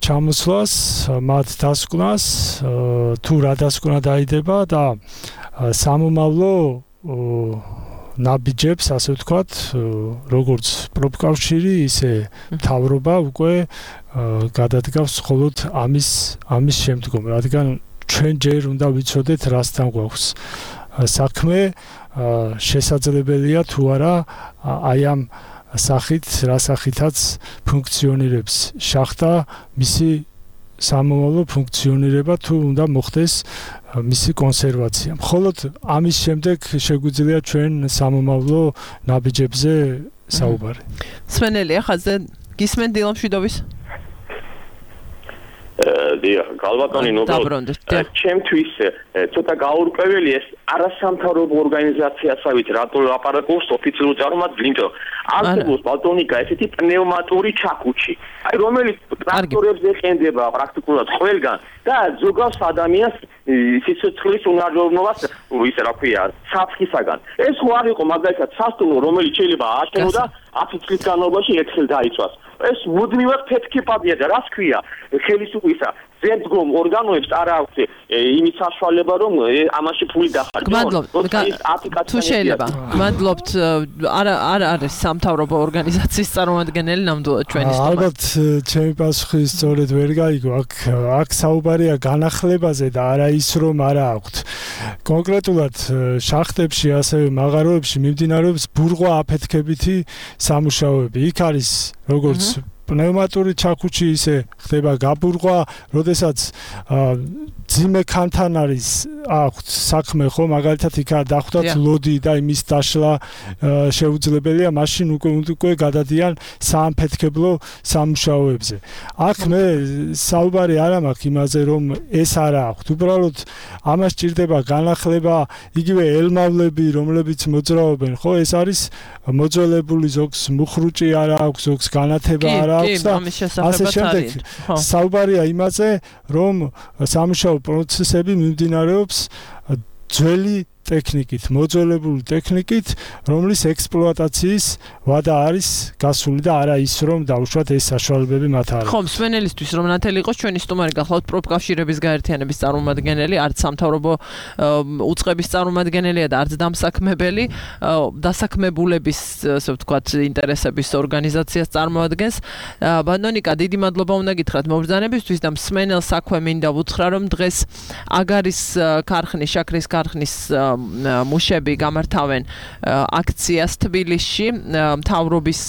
ჩამოსვლას, მათ დასკვნას, თუ რა დასკვნა დაიდება და სამომავლო ნაბიჯებს, ასე ვთქვათ, როგორც პროფკავშირი, ისე მთავრობა უკვე გადადგავს მხოლოდ ამის ამის შემდგომ, რადგან ჩვენ ჯერ უნდა ვიცოდეთ, რასთან გვაქვს საქმე, შესაძლებელია თუ არა აი ამ სახით, რა სახითაც ფუნქციონირებს შახტა, მისი სამომავლო ფუნქციონირება თუ უნდა მოხდეს მისი კონსერვაცია. მხოლოდ ამის შემდეგ შეგვიძლია ჩვენ სამომავლო ნაბიჯებზე საუბარი. სვენელია ხაზზე გისმენ დილამშვიდობის? გალბატონი ნობელ ჩემთვის ცოტა გაურკვეველი ეს არასამთავრობო ორგანიზაციასაც რატო აპარატურს ოფიციალურ წარმოადგენს არსებობს ბალტონიკა ესეთი პნევმატური ჩაქუჩი აი რომელიც ტრაქტორებს ეხენდება პრაქტიკულად ყველგან და ზოგავს ადამიანს სიცოცხლის უნარჩუნებას ისე რა ქვია საფრთხისაგან ეს ხო არ იყო მაგალითად სასტუმრო რომელიც შეიძლება ააშენოდა ათი წლის განმავლობაში ერთხელ დაიცვას ეს მუდმივად ფეთქებადია და რას ქვია ხელისუფლისა ზემდგომ ორგანოებს არ აქვს იმის საშუალება რომ ამაში ფული დახარჯონ თუ შეიძლება მადლობთ არა არ არის სამთავრობო ორგანიზაციის წარმომადგენელი ნამდვილად ჩვენი სტუმარი ალბათ ჩემი პასუხი სწორედ ვერ გაიგო აქ აქ საუბარია განახლებაზე და არა ის რომ არა აქვთ კონკრეტულად შახტებში ასევე მაღაროებში მიმდინარეობს ბურღვა აფეთქებითი სამუშაოები იქ არის როგორც პნევმატური ჩაქუჩი ისე ხდება გაბურღვა, როდესაც ძიმე ქანთან არის აქვთ საქმე ხო, მაგალითად იქ არ დახვდათ ლოდი და იმის დაშლა შეუძლებელია, მაშინ უკვე უკვე გადადიან საამფეთქებლო სამუშაოებზე. აქ მე საუბარი არ მაქვს იმაზე, რომ ეს არა აქვთ. უბრალოდ ამას ჭირდება განახლება, იგივე ელმავლები, რომლებიც მოძრაობენ, ხო, ეს არის მოძველებული ზოგს მუხრუჭი არა აქვს, ზოგს განათება არა აქვს და ასე შემდეგ. საუბარია იმაზე, რომ სამუშაო პროცესები მიმდინარეობს ძველი ტექნიკით, მოძველებული ტექნიკით, რომლის ექსპლუატაციის ვადა არის გასული და არა ის, რომ დაუშვათ ეს საშუალებები მათ არ აქვს. ხო, მსმენელისთვის რომ ნათელი იყოს, ჩვენი სტუმარი გახლავთ პროფკავშირების გაერთიანების წარმომადგენელი, არც სამთავრობო უწყების წარმომადგენელია და არც დამსაქმებელი, დასაქმებულების, ასე ვთქვათ, ინტერესების ორგანიზაციას წარმოადგენს. ბანდონიკა, დიდი მადლობა უნდა გითხრათ მობრძანებისთვის და მსმენელს საქმე მინდა ვუთხრა, რომ დღეს აგარის ქარხნის, შაქრის ქარხნის მუშები გამართავენ აქციას თბილისში მთავრობის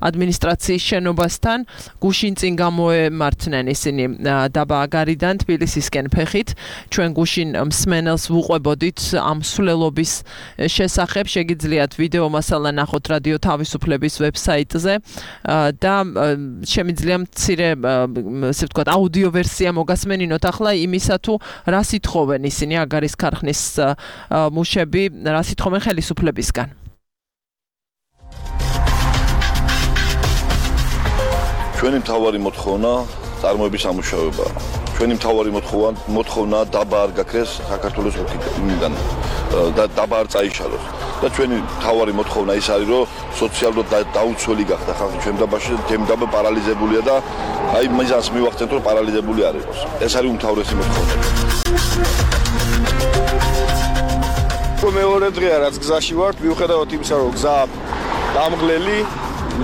ადმინისტრაციის შენობასთან გუშინ წინ გამოემართნენ ისინი დაბა აგარიდან თბილისისკენ ფეხით ჩვენ გუშინ მსმენელს ვუყვებოდით ამ სულელობის შესახებ შეგიძლიათ ვიდეო მასალა ნახოთ რადიო თავისუფლების ვებსაიტზე და შემიძლია მცირე ასე ვთქვათ აუდიო ვერსია მოგასმენინოთ ახლა იმისა თუ რას ითხოვენ ისინი აგარის ქარხნის მუშები რას ითხოვენ ხელისუფლებისგან. ჩვენი მთავარი მოთხოვნა წარმოების ამუშავებაა. ჩვენი მთავარი მოთხოვნა დაბა არ გაქრეს საქართველოს ოფიციალიდან და დაბა არ წაიშალოს. და ჩვენი მთავარი მოთხოვნა ის არის, რომ სოციალურად დაუცველი გახდა ხალხი ჩვენ დაბაში, თემ დაბა პარალიზებულია და აი მიზანს მივახცენთ, რომ პარალიზებული არ იყოს. ეს არის უმთავრესი მოთხოვნა. მეორე დღეა რაც გზაში ვართ, მიუხედავად იმისა, რომ გზა დამღლელი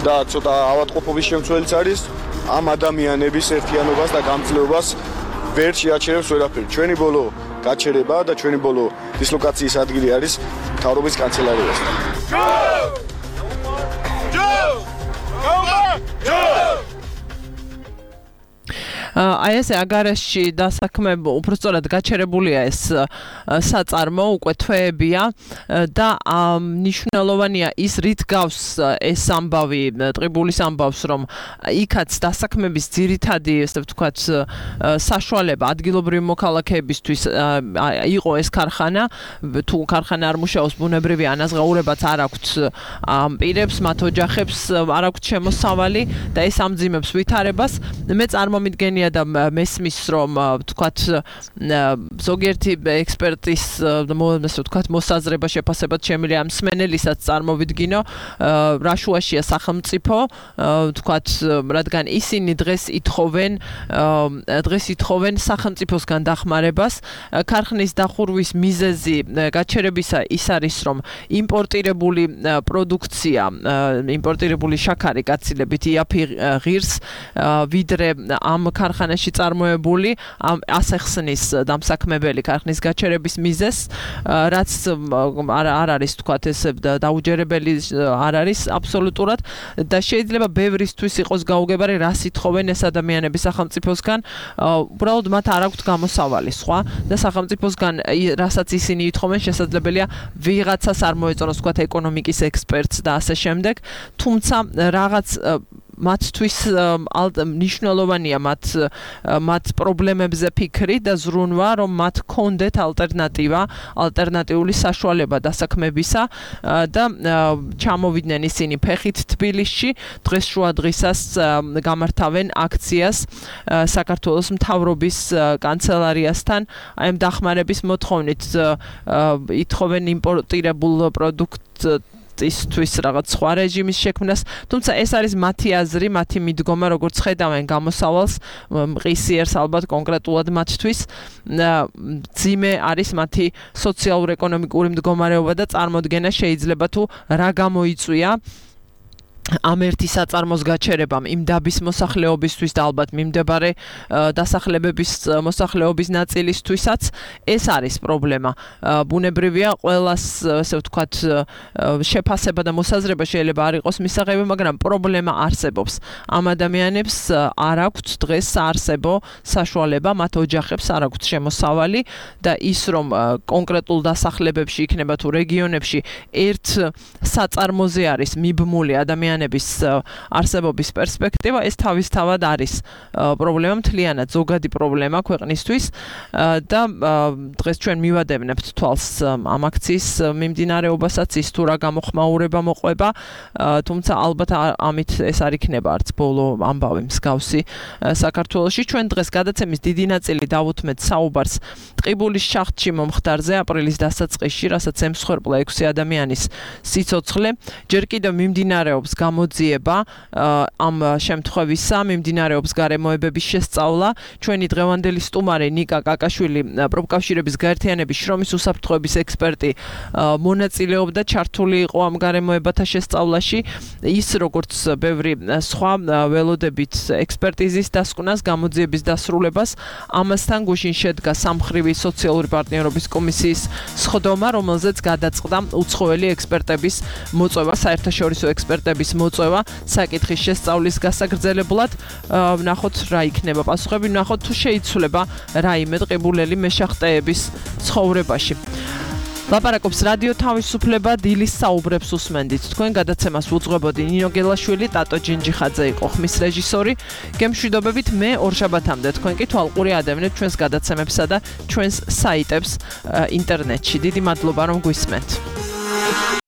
და ცოტა ავადმყოფობის შემცველიც არის, ამ ადამიანების ერთიანობას და გამძლეობას ვერ შეაჩერებს ვერაფერი. ჩვენი ბოლო გაჩერება და ჩვენი ბოლო დისლოკაციის ადგილი არის მთავრობის კანცელარიასთან. აი ეს აგარაში დასაქმებ უბრალოდ გაჩერებულია ეს საწარმო უკვე თვეებია და მნიშვნელოვანია ის რით გავს ეს ამბავი ტყიბულის ამბავს რომ იქაც დასაქმების ძირითადი ესე ვთქვათ საშუალება ადგილობრივი მოქალაქეებისთვის იყო ეს ქარხანა თუ ქარხანა არ მუშაობს ბუნებრივი ანაზღაურებაც არ აქვთ ამ პირებს მათ ოჯახებს არ აქვთ შემოსავალი და ეს ამძიმებს ვითარებას მე წარმომიდგენია და მესმის რომ ვთქვათ ზოგიერთი ექსპერტის ასე ვთქვათ მოსაზრება შეფასებად შემიძლია ამ მსმენელისაც წარმოვიდგინო რა შუაშია სახელმწიფო ვთქვათ რადგან ისინი დღეს ითხოვენ დღეს ითხოვენ სახელმწიფოსგან დახმარებას ქარხნის დახურვის მიზეზი გაჩერებისა ის არის რომ იმპორტირებული პროდუქცია იმპორტირებული შაქარი გაცილებით იაფი ღირს ვიდრე ამ ქარხანაში წარმოებული ასეხსნის დამსაქმებელი ქარხნის გაჩერების მიზეზს რაც არ არის თქვათ ეს დაუჯერებელი არ არის აბსოლუტურად და შეიძლება ბევრისთვის იყოს გაუგებარი რას ითხოვენ ეს ადამიანები სახელმწიფოსგან უბრალოდ მათ არ აქვთ გამოსავალი სხვა და სახელმწიფოსგან რასაც ისინი ითხოვენ შესაძლებელია ვიღაცას არ მოეწონოს თქვათ ეკონომიკის ექსპერტს და ასე შემდეგ თუმცა რაღაც მათთვის მნიშვნელოვანია მათ მათ პრობლემებზე ფიქრი და ზრუნვა, რომ მათ კონდეთ ალტერნატივა, ალტერნატიული საშუალება დასაქმებისა და ჩამოვიდნენ ისინი ფეხით თბილისში, დღეს შუა დღისას გამართავენ აქციას საქართველოს მთავრობის კანცელარიასთან, აი ამ დახმარების მოთხოვნით ითხოვენ იმპორტირებულ პროდუქტისთვის რაღაც სხვა რეჟიმის შექმნას, თუმცა ეს არის მათი აზრი, მათი მიდგომა, როგორც ხედავენ გამოსავალს, მყისიერს ალბათ კონკრეტულად მათთვის, ძიმე არის მათი სოციალურ-ეკონომიკური მდგომარეობა და წარმოდგენა შეიძლება თუ რა გამოიწვია ამ ერთი საწარმოს გაჩერებამ იმ დაბის მოსახლეობისთვის და ალბათ მიმდებარე დასახლებების მოსახლეობის ნაწილისთვისაც ეს არის პრობლემა. ბუნებრივია ყველას, ასე ვთქვათ, შეფასება და მოსაზრება შეიძლება არ იყოს მისაღები, მაგრამ პრობლემა არსებობს. ამ ადამიანებს არ აქვთ დღეს საარსებო საშუალება, მათ ოჯახებს არ აქვთ შემოსავალი და ის რომ კონკრეტულ დასახლებებში იქნება თუ რეგიონებში ერთ საწარმოზე არის მიბმული ადამიანი არსებობის პერსპექტივა, ეს თავისთავად არის პრობლემა, მთლიანად ზოგადი პრობლემა ქვეყნისთვის და დღეს ჩვენ მივადევნებთ თვალს ამ აქციის მიმდინარეობასაც, ის თუ რა გამოხმაურება მოყვება, თუმცა ალბათ ამით ეს არ იქნება არც ბოლო ამბავი მსგავსი საქართველოში. ჩვენ დღეს გადაცემის დიდი ნაწილი დავუთმეთ საუბარს ტყიბულის შახტში მომხდარზე აპრილის დასაწყისში, რასაც ემსხვერპლა ექვსი ადამიანის სიცოცხლე. ჯერ კიდევ მიმდინარეობს გამოძიება ამ შემთხვევისა, მიმდინარეობს გარემოებების შესწავლა. ჩვენი დღევანდელი სტუმარი ნიკა კაკაშვილი, პროფკავშირების გაერთიანების შრომის უსაფრთხოების ექსპერტი, მონაწილეობდა, ჩართული იყო ამ გარემოებათა შესწავლაში. ის როგორც ბევრი სხვა ველოდებით ექსპერტიზის დასკვნას, გამოძიების დასრულებას, ამასთან გუშინ შედგა სამხრივი სოციალური პარტნიორობის კომისიის სხდომა, რომელზეც გადაწყდა უცხოელი ექსპერტების მოწვევა, საერთაშორისო ექსპერტების მოწვევა საკითხის შესწავლის გასაგრძელებლად. ვნახოთ რა იქნება პასუხები, ვნახოთ თუ შეიცვლება რაიმე ტყიბულელი მეშახტეების ცხოვრებაში. ლაპარაკობს რადიო თავისუფლება, დილის საუბრებს უსმენდით. თქვენ გადაცემას უძღვებოდი ნინო გელაშვილი, ტატო ჯინჯიხაძე იყო ხმის რეჟისორი. გემშვიდობებით, მე ორშაბათამდე თქვენ კი თვალყური ადევნებთ ჩვენს გადაცემებსა და ჩვენს საიტებს ინტერნეტში. დიდი მადლობა რომ გვისმენთ.